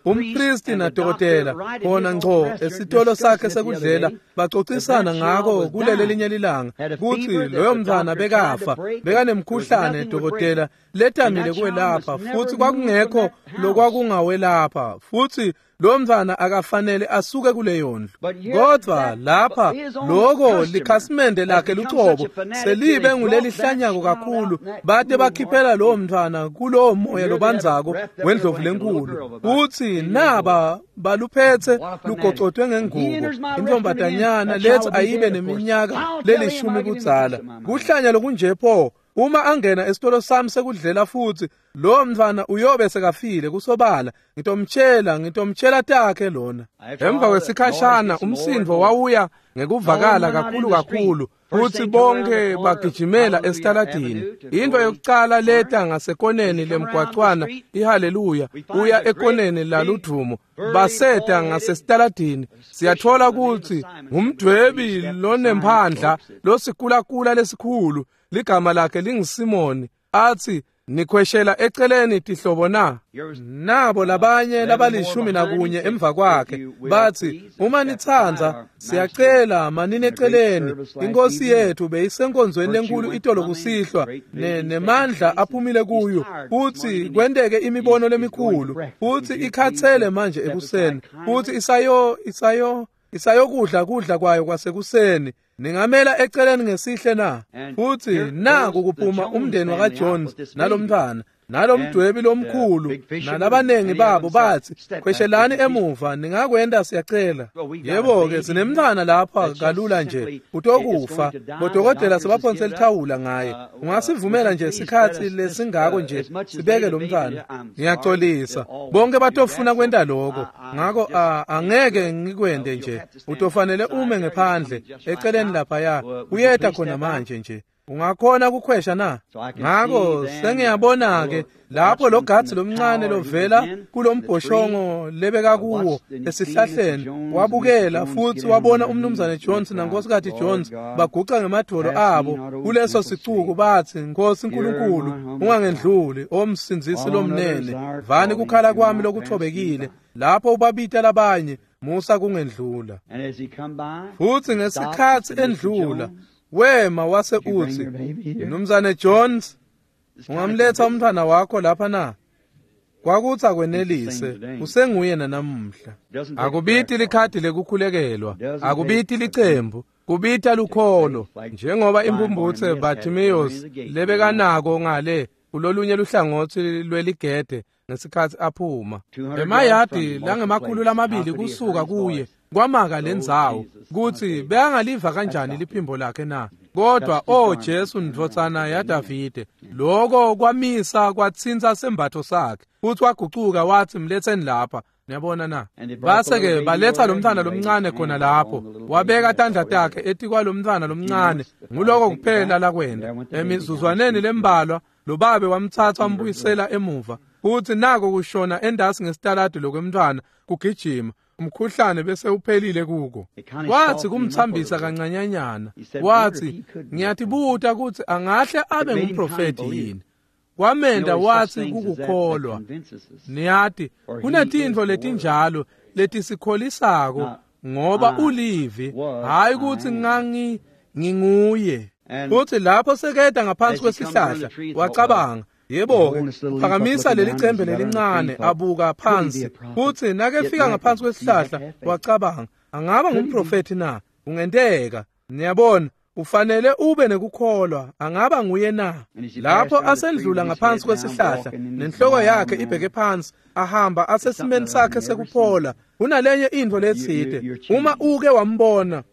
Speaker 1: umpristi nadokotela khona ngco esitolo sakhe sekudlela bacocisana ngako kulele linye lilanga kutsi loyo mntfwana bekafa, bekanemkhuhlane dokotela letamile kwelapha, futsi kwakungekho lokwakungawelapha, futsi lo mntfwana akafanele asuke kuleyo ndlu. Kodwa lapha loko likhasimende lakhe lucobo selibe ngulelihlanyako kakhulu, bate bakhiphela lowo mntfwana kulowo moya lobandzako wendlovu lenkulu, kutsi naba baluphethe lugocotwe ngengubo, intombatanyana lethi ayibe neminyaka lelishumi kudzala. Kuhlanya lokunje pho! Uma angena esitolo sami sekudlela futsi, lowo mntfwana uyobe sekafile kusobala. Ngitomtshela takhe lona. Emva kwesikhashana umsindvo wawuya ngekuvakala kakhulu kakhulu, futsi bonke bagijimela esitaladini. Into yokucala leta ngasekoneni lemgwacwana iHaleluya, uya ekoneni laludvumo, baseta ngasesitaladini. Siyathola kutsi ngumdwebi lonemphandla losikulakula lesikhulu, ligama lakhe linguSimoni, athi, nikhweshela eceleni tihlobo na? Nabo labanye labalishumi nakunye emva kwakhe bathi, uma nitsandza siyacela manini eceleni, inkosi yethu beyisenkonzweni lenkulu itolo kusihlwa, nemandla aphumile kuyo, futhi kwenteke imibono lemikhulu, futhi ikhathele manje ekuseni, futhi isayokudla kudla kwayo kwasekuseni. Ningamela eceleni ngesihle na? Futhi naku kuphuma umndeni wakaJones nalomntfwana nalomdwebi lomkhulu nalabanengi babo, bathi, khweshelani emuva, ningakwenda siyacela. Yebo-ke, sinemntfwana lapha kalula nje, utokufa. Bodokotela sebaphonse lithawula ngaye. Ungasivumela nje sikhatsi lesingako nje sibeke lo mntfwana? Ngiyacolisa, bonke batofuna kwenta loko, ngako angeke ngikwende nje. Utofanele ume ngephandle eceleni laphaya, uyeta khona manje nje. Ungakhona kukhwesha na? Ngako sengiyabona-ke lapho lo gatsi lomncane lovela kulombhoshongo lebeka kuwo esihlahleni, wabukela futsi wabona umnumzane Jones nankosikazi Jones baguca ngemadvolo abo kuleso sicuku, bathi, Nkosi Nkulunkulu, ungangendluli, omsindzisi lomnene, vani kukhala kwami lokuthobekile. Lapho ubabita labanye, musa kungendlula. Futsi ngesikhatsi endlula, wema wase utsi, Mnumzane Jones, ungamletha umntfwana wakho lapha na? Kwakutsi akwenelise, usenguye nanamuhla. Akubiti likhadi lekukhulekelwa, akubiti licembu, kubita lukholo, njengoba impumputse Bartimaeus lebekanako ngale kulolunye luhlangotsi lweligede ngesikhatsi aphuma. Emayadi langemakhulu lamabili kusuka kuye kwamaka lendzawo, kutsi bekangaliva kanjani liphimbo lakhe na? Kodwa o Jesu ndvodzana yaDavide, loko kwamisa kwatsintsa sembatfo sakhe, futsi wagucuka wathi, mletseni lapha. Niyabona na? Base-ke baletha lo mntfwana lomncane khona lapho, wabeka tandla takhe etikwalo mntfwana lomncane. Nguloko kuphela lakwenda. Emizuzwaneni lembalwa lo babe wamtsatsa wambuyisela emuva, futsi nako kushona endasi ngesitaladi lokwemntfwana kugijima, umkhuhlane bese uphelile kuko. Wathi kumtsambisa kancanyanyana, wathi, ngiyatibuta kutsi angahle abe ngumprofethi yini. Kwamenda wathi kukukholwa. Niyati, kunetintfo letinjalo letisikholisako, ngoba ulivi, hayi kutsi nginguye. Futsi lapho seketa ngaphansi kwesihlahla, wacabanga, yebo-ke, phakamisa leli cembe lelincane, abuka phansi. Futsi nakefika ngaphansi kwesihlahla, wacabanga, angaba ngumprofethi na? Kungenteka. Niyabona, Ufanele ube nekukholwa, angaba nguye na? Lapho asendlula ngaphansi kwesihlahla, nenhloko yakhe ibheke phansi, ahamba asesimeni sakhe sekuphola. Kunalenye intfo letsite. Uma uke wambona,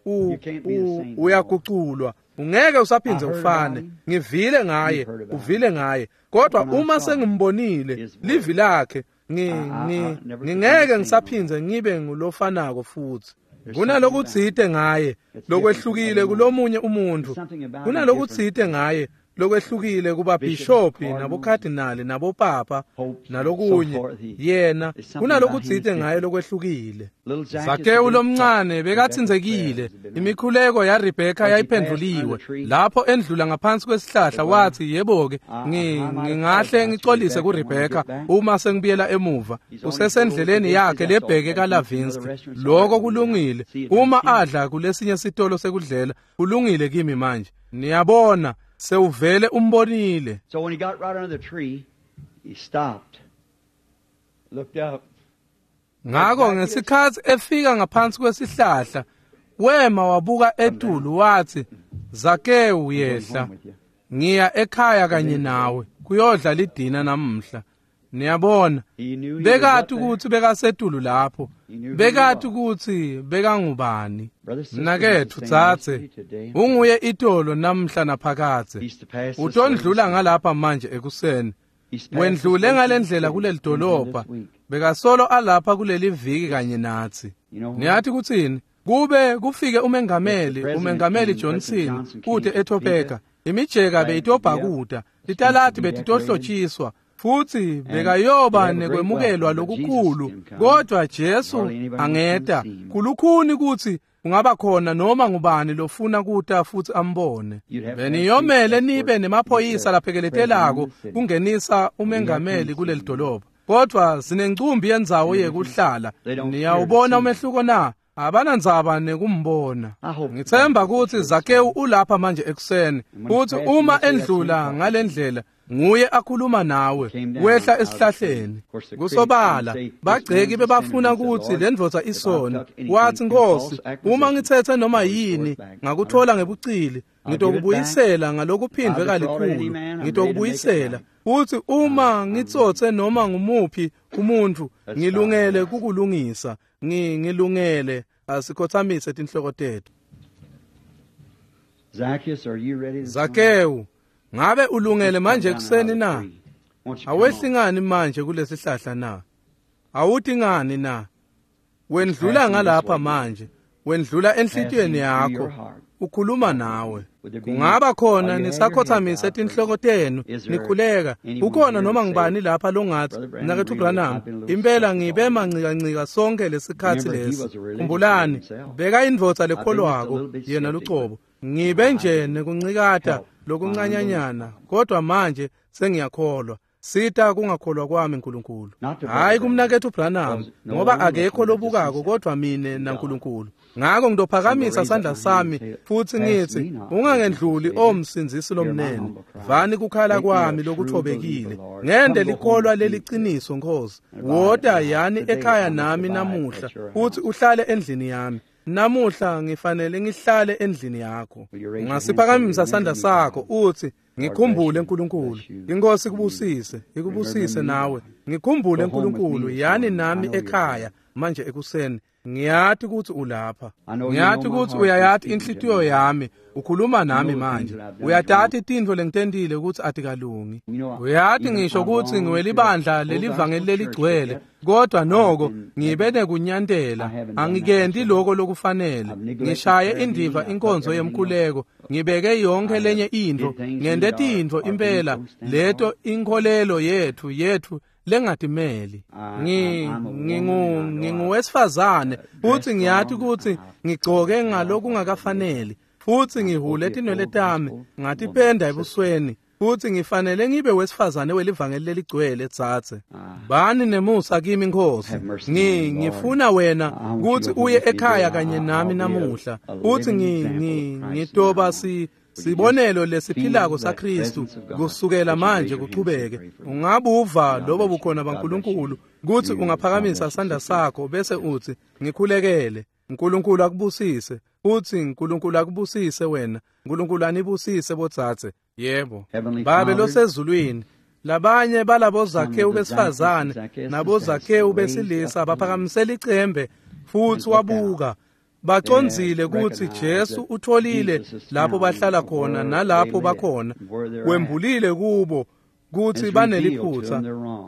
Speaker 1: uyaguculwa. Ungeke usaphindze ufane. Ngivile ngaye, uvile ngaye. Kodwa uma sengimbonile, livi lakhe, ngingeke ngisaphindze ngibe ngulofanako futhi. Kunalokutsite ngaye lokwehlukile kulomunye umuntu. Kunalokutsite ngaye lokwehlukile kubabhishophi nabokhadinali nabopapa nalokunye. Yena kunalokutsite ngaye lokwehlukile. Zakewu lomncane bekatsinzekile. Imikhuleko yaRebheka yayiphendvuliwe. Lapho endlula ngaphansi kwesihlahla wathi, yebo-ke, ngingahle ngicolise kuRebheka uma sengibuyela emuva. Usesendleleni yakhe lebheke kaLavinsky. Lokho kulungile. Uma adla kulesinye sitolo sekudlela, kulungile kimi manje. Niyabona, sewuvele umbonile.
Speaker 2: So when he got right under the tree, he stopped, looked up.
Speaker 1: Ngakho ngesikhathi efika ngaphansi kwesihlahla, wema wabuka etulu wathi, Zakewu yehla, ngiya ekhaya kanye nawe kuyodla lidina namhla. Niyabona, bekati ukuthi bekasetulu lapho, bekati ukuthi bekangubani. Mnaketfu tsatse, unguye itolo namhla naphakadze. Utondlula ngalapha manje ekuseni. Wendlule ngalendlela kuleli dolobha, bekasolo alapha kuleli viki kanye natsi. Niyathi kutsini? Kube kufike umengameli Johnson kute eTopeka, imijeka beyitobhakuta, litalati betitohlotshiswa, futhi bekayoba nekwemukelwa lokukhulu. Kodwa Jesu angeta. Kulukhuni kutsi kungaba khona noma ngubani lofuna kuta futhi ambone. Beniyomele nibe nemaphoyisa laphekeletelako kungenisa umengameli kuleli dolobha. Kodwa sinencumbi yendzawo yekuhlala. Niyawubona umehluko na? Abanandzaba nekumbona. Ngithemba kutsi Zakewu ulapha manje ekuseni. Futhi uma endlula ngalendlela, nguye akhuluma nawe, wehla esihlahleni. Kusobala, bagceki bebafuna kutsi lendvodza isona. Wathi, Nkosi, uma ngithethe noma yini, ngakuthola ngebucili, ngitokubuyisela ngalokuphindwe kalikhulu, ngitokubuyisela. Futhi uma ngitsotse noma ngumuphi umuntu, ngilungele kukulungisa. Ngilungele. Asikhothamise tinhloko tethu. Zakewu, ngabe ulungele manje ekuseni na? Awehli ngani manje kulesihlahla na? Awuthi ngani na? Wendlula ngalapha manje, wendlula enhlitiyweni yakho, ukhuluma nawe. Kungaba khona nisakhothamise tinhloko tenu nikhuleka. Ukhona noma ngubani lapha longathi, Mnaketfu Branham, impela ngibe mancikancika sonke lesikhatsi lesi. Khumbulani, beka indvodza lekholwako yena lucobo. Ngibe nje nekuncikata lokuncanyanyana, kodwa manje sengiyakholwa. Sita kungakholwa kwami Nkulunkulu. Hayi kumnaketfu Branham, ngoba akekho lobukako kodwa mine naNkulunkulu. Ngakho ngitophakamisa sandla sami futhi ngithi, ungangendluli o Msindzisi lomnene. Vani kukhala kwami lokuthobekile. Ngende likholwa leliciniso Nkosi. Wota yani ekhaya nami namuhla, futhi uhlale endlini yami. Namuhla ngifanele ngihlale endlini yakho. Ungasiphakamisa sandla sakho uthi, ngikhumbule Nkulunkulu. Inkosi ikubusise, ikubusise nawe. Ngikhumbule Nkulunkulu, yani nami ekhaya manje ekuseni. Ngiyati ukuthi ulapha. Ngiyati ukuthi uyayati inhlitiyo yami. Ukhuluma nami manje. Uyatati tintfo lengitentile ukuthi atikalungi. Uyati ngisho ukuthi ngiwelibandla lelivangeli leligcwele, kodwa noko ngibe nekunyantela. Angikenti lokho lokufanele. Ngishaye indiva inkonzo yemkhuleko, ngibeke yonke lenye intfo, ngente tintfo impela leto inkholelo yethu lengatimeli. Nginguwesifazane futhi ngiyati ukuthi ngigcoke ngalokungakafaneli, futhi ngihule tinwele tami ngatipenda ebusweni, futhi ngifanele ngibe wesifazane welivangeli leligcwele. Tsatse, bani nemusa kimi Nkosi. Ngifuna wena kuthi uye ekhaya kanye nami namuhla, futhi ngitoba sibonelo lesiphilako saKristu kusukela manje kuchubeke. Ungabuva lobo bukhona baNkulunkulu kuthi ungaphakamisa sandla sakho bese uthi, ngikhulekele. Nkulunkulu akubusise. Futsi Nkulunkulu akubusise wena. Nkulunkulu anibusise botsatse. Yebo. Babe losezulwini, labanye balabo Zakhewu besifazane nabo Zakhewu besilisa baphakamisela icembe futsi wabuka. Bacondzile kutsi Jesu utholile lapho bahlala khona nalapho bakhona. Wembulile kubo kutsi baneliphutsa.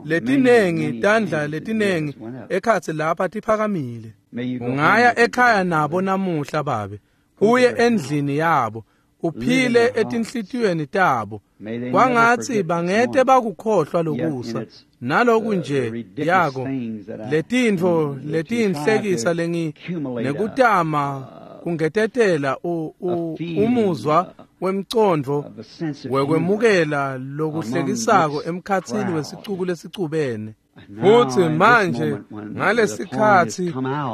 Speaker 1: Letinengi tandla letinengi ekhatsi lapha tiphakamile. Ungaya ekhaya nabo namuhla babe, uye endlini yabo, uphile etinhlitiyweni tabo. Kwangatsi bangete bakukhohlwa lokusa naloku nje yako letintfo letinhlekisa lengi nekutama kungetetela umuzwa wemcondvo wekwemukela lokuhlekisako emkhatsini wesicuku lesicubene. Futsi manje ngalesikhatsi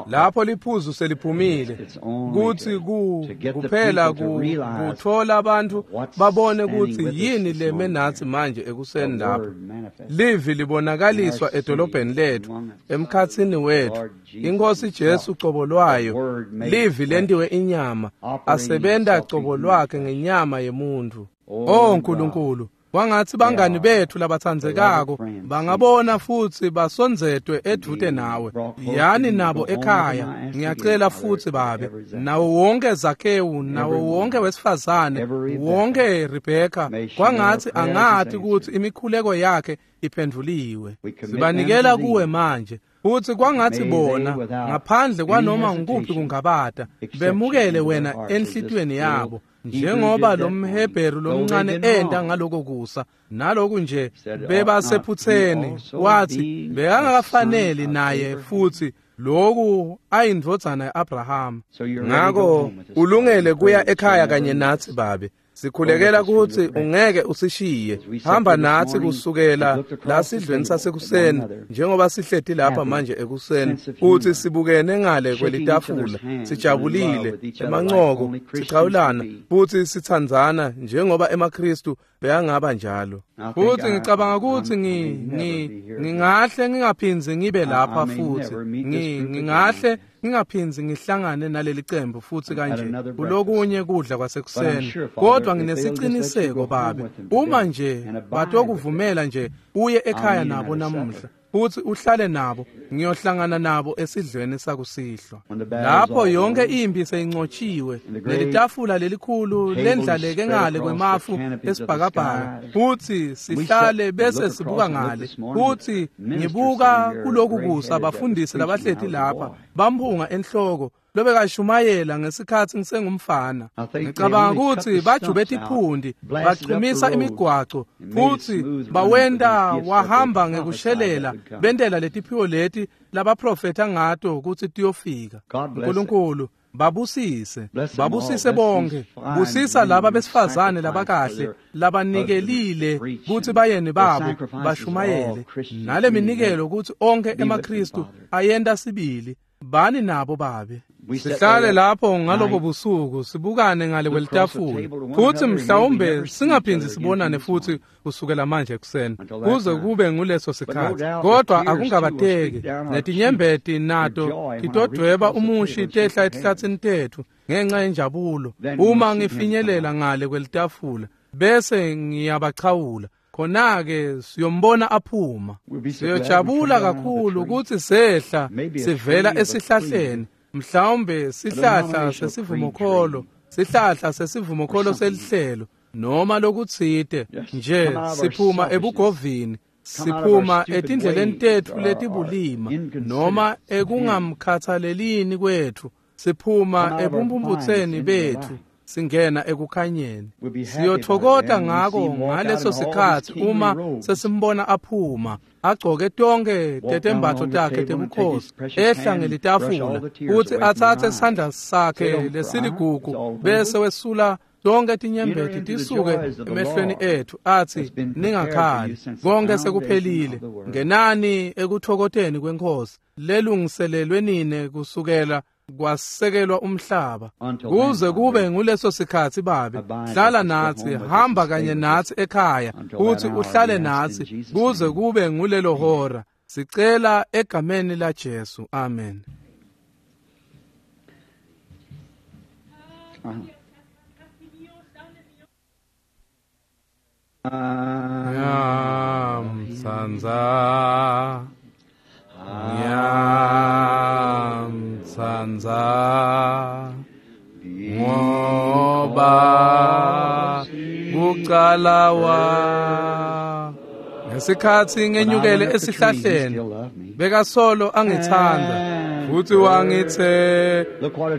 Speaker 1: lapho liphuzu seliphumile kutsi kuphela kutfola abantu babone kutsi yini leme natsi manje ekuseni lapho. Livi libonakaliswa edolobheni letfu, emkhatsini wetfu. Inkosi Jesu cobo lwayo, livi lentiwe inyama, asebenta cobo lwakhe ngenyama yemuntfu. Oh Nkulunkulu, kwangatsi bangani betfu labatsandzekako bangabona futsi basondzetwe edvute nawe. Yani nabo ekhaya, ngiyacela futsi babe, nawo wonke Zakhewu, nawo wonke wesifazane, wonke Rebheka, kwangatsi angati kutsi imikhuleko yakhe iphendvuliwe. Sibanikela kuwe manje. Futsi kwangatsi bona ngaphandle kwanoma ngukuphi kungabata bemukele wena enhlitiyweni yabo, njengoba lo mHebheru lomncane enta ngaloko kusa. Naloku nje bebasephutseni, wathi bekangakafaneli naye futsi loku ayindvodzana ya-Abrahama. Ngako ulungele kuya ekhaya kanye natsi babe. Sikhulekela kutsi ungeke usishiye. Hamba natsi kusukela la sidlweni sasekuseni, njengoba sihleti lapha manje ekuseni, kutsi sibukene ngale kwelitafula, sijabulile, emancoko, sichawulana, futsi sitsandzana njengoba emaKhristu beyangaba njalo. Futsi ngicabanga kutsi ngingahle ngingaphindzi ngibe lapha futsi. Ngingahle ngingaphindzi ngihlangane naleli cembu futsi kanje kulokunye kudla kwasekuseni. Kodwa nginesiciniseko babe, uma nje batokuvumela nje uye ekhaya nabo namuhla futsi uhlale nabo, ngiyohlangana nabo esidlweni sakusihlwa. Lapho yonke impi seyincotshiwe, nelitafula lelikhulu lendlaleke ngale kwemafu esibhakabhaka, futsi sihlale bese sibuka ngale. Futsi ngibuka kuloku kusa bafundisi labahleti lapha bamphunga enhloko lobekashumayela ngesikhatsi ngisengumfana. Ngicabanga kutsi bajube tiphundi, bachumisa imigwaco, futsi bawenta wahamba ngekushelela, bentela letiphiwo leti labaprofetha ngato kutsi tiyofika. Nkulunkulu babusise, babusise bonke. Busisa laba besifazane labakahle labanikelile kutsi bayeni babo bashumayele, nale minikelo kutsi onke emaKhristu ayenta sibili. Bani nabo babe. Sihlale lapho ngalobo busuku sibukane ngale kwelitafula, futsi mhlawumbe singaphindzi sibonane futsi kusukela manje ekuseni kuze kube nguleso sikhatsi. Kodwa akungabateki, netinyembeti nato titodvweba umushi tehla etihlatsini tetfu ngenxa yenjabulo uma ngifinyelela ngale kwelitafula bese ngiyabachawula. Khona-ke siyombona aphuma. Siyojabula kakhulu kutsi sehla sivela esihlahleni, mhlawumbe sihlahla sesivumokholo, sihlahla sesivumokholo selihlelo noma lokutsite nje. Siphuma ebugovini, siphuma etindleleni tetfu letibulima noma ekungamkhathalelini kwetfu, siphuma ebumpumputseni betfu, singena ekukhanyeni. Siyothokota ngako ngaleso sikhatsi uma sesimbona aphuma agcoke tonke tetembatfo takhe tebukhosi, ehla ngelitafula, futsi atsatse sandla sakhe lesiligugu bese wesula tonke tinyembeti tisuke emehlweni etfu, atsi, ningakhali, konke sekuphelile. Ngenani ekuthokoteni kweNkhosi lelungiselelwe nine kusukela kwasekelwa umhlaba. Kuze kube nguleso sikhatsi babe, hlala natsi, hamba kanye natsi ekhaya, futsi uhlale natsi kuze kube ngulelo hora. Sicela egameni la Jesu, amen. Ngiyamtsandza, ngiyamtsandza, ngoba kucala wa ngesikhatsi ngenyukele esihlahleni bekasolo angitsandza futhi wangithe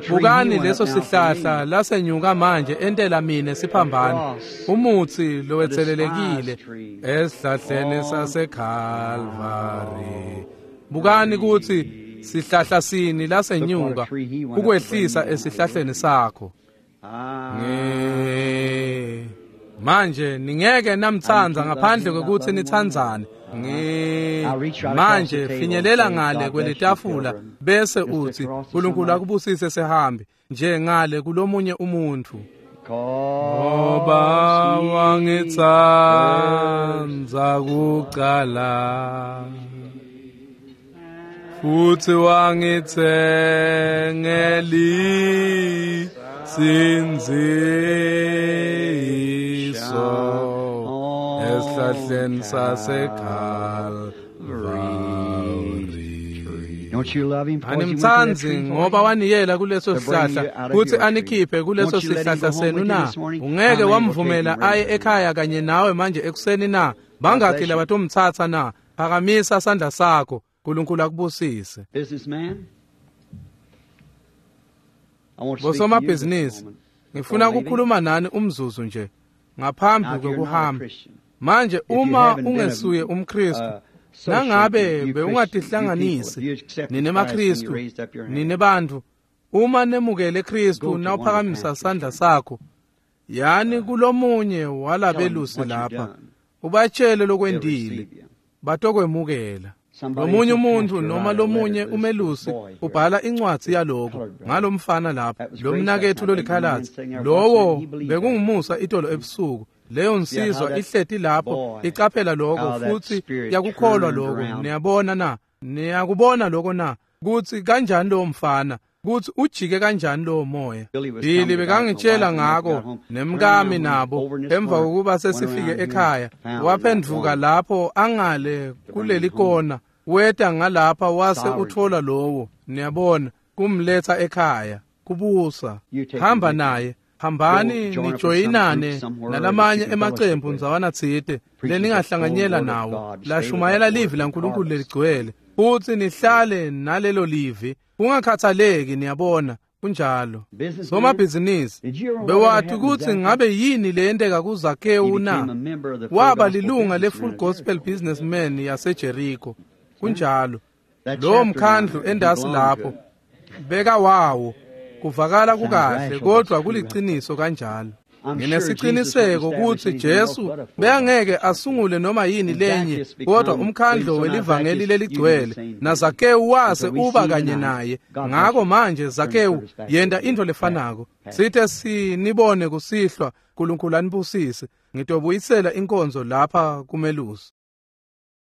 Speaker 1: bukani leso sihlahla lasenyuka manje entela mine siphambano umutsi lowetselelekile esihlahleni saseKalvari. Bukani kutsi sihlahla sini lasenyuka ukwehlisa esihlahleni sakho. Manje ningeke namtsandza ngaphandle kwekutsi nitsandzane. Manje finyelela ngale kwelitafula bese utsi uNkulunkulu akubusise sihambi nje ngale kulomunye umuntfu. Ngoba wangitsandza kucala futhi wangitsengeli sindziso esihlahleni saseKalvari.
Speaker 2: Don't you love him?
Speaker 1: Animtsandzi ngoba waniyela kuleso sihlahla kutsi anikhiphe kuleso sihlahla senu na? Ungeke wamvumela aye ekhaya kanye nawe manje ekuseni na? Bangakhi labatomtsatsa na? Phakamisa sandla sakho. uNkulunkulu akubusise. Bosomabhizinisi, ngifuna ukukhuluma nani umzuzu nje ngaphambi kokuhamba. Manje uma ungesuye umKristu, nangabe bewungatihlanganisi nine maKristu, nine bantfu, uma nemukele Kristu nawuphakamisa sandla sakho, yani kulomunye walabelusi lapha, ubatshele lokwendile, batokwemukela. Lomunye umuntu noma lomunye umelusi ubhala incwadi yaloko ngalomfana lapha, lo mnaketfu lolikhalatsi, lowo bekungumusa itolo ebusuku. Leyo nsizwa ihleti lapho icaphela lokho futhi yakukholwa lokho. Niyabona na? Niyakubona lokho na? Kutsi kanjani lowo mfana, kutsi ujike kanjani lowo moya. Billy bekangitshela ngako nemkami nabo emva kokuba sesifike ekhaya, waphendvuka lapho angale kuleli kona, weta ngalapha wase uthola lowo, niyabona, kumletha ekhaya, kubusa. Hamba naye. Hambani nijoyinane nalamanye emacembu ndzawana tsite leningahlanganyela nawo lashumayela livi laNkulunkulu leligcwele, futhi nihlale nalelo livi kungakhathaleki. Niyabona, kunjalo. Somabhizinisi, bewati kutsi ngabe yini leyenteka kuZakewu na? Waba lilunga le-Full Gospel Businessman yaseJericho. Kunjalo. Lowo mkhandlu endasi lapho beka wawo. Kuvakala kukahle kodwa kuliciniso kanjalo. Nginesiqiniseko kutsi Jesu beyangeke asungule noma yini lenye kodwa umkhandlo welivangeli leligcwele, naZakewu wase uba kanye naye. Ngako manje Zakewu yenta intfo lefanako. Sithe sinibone kusihlwa, uNkulunkulu anibusise. Ngitobuyisela inkonzo lapha kumelusi.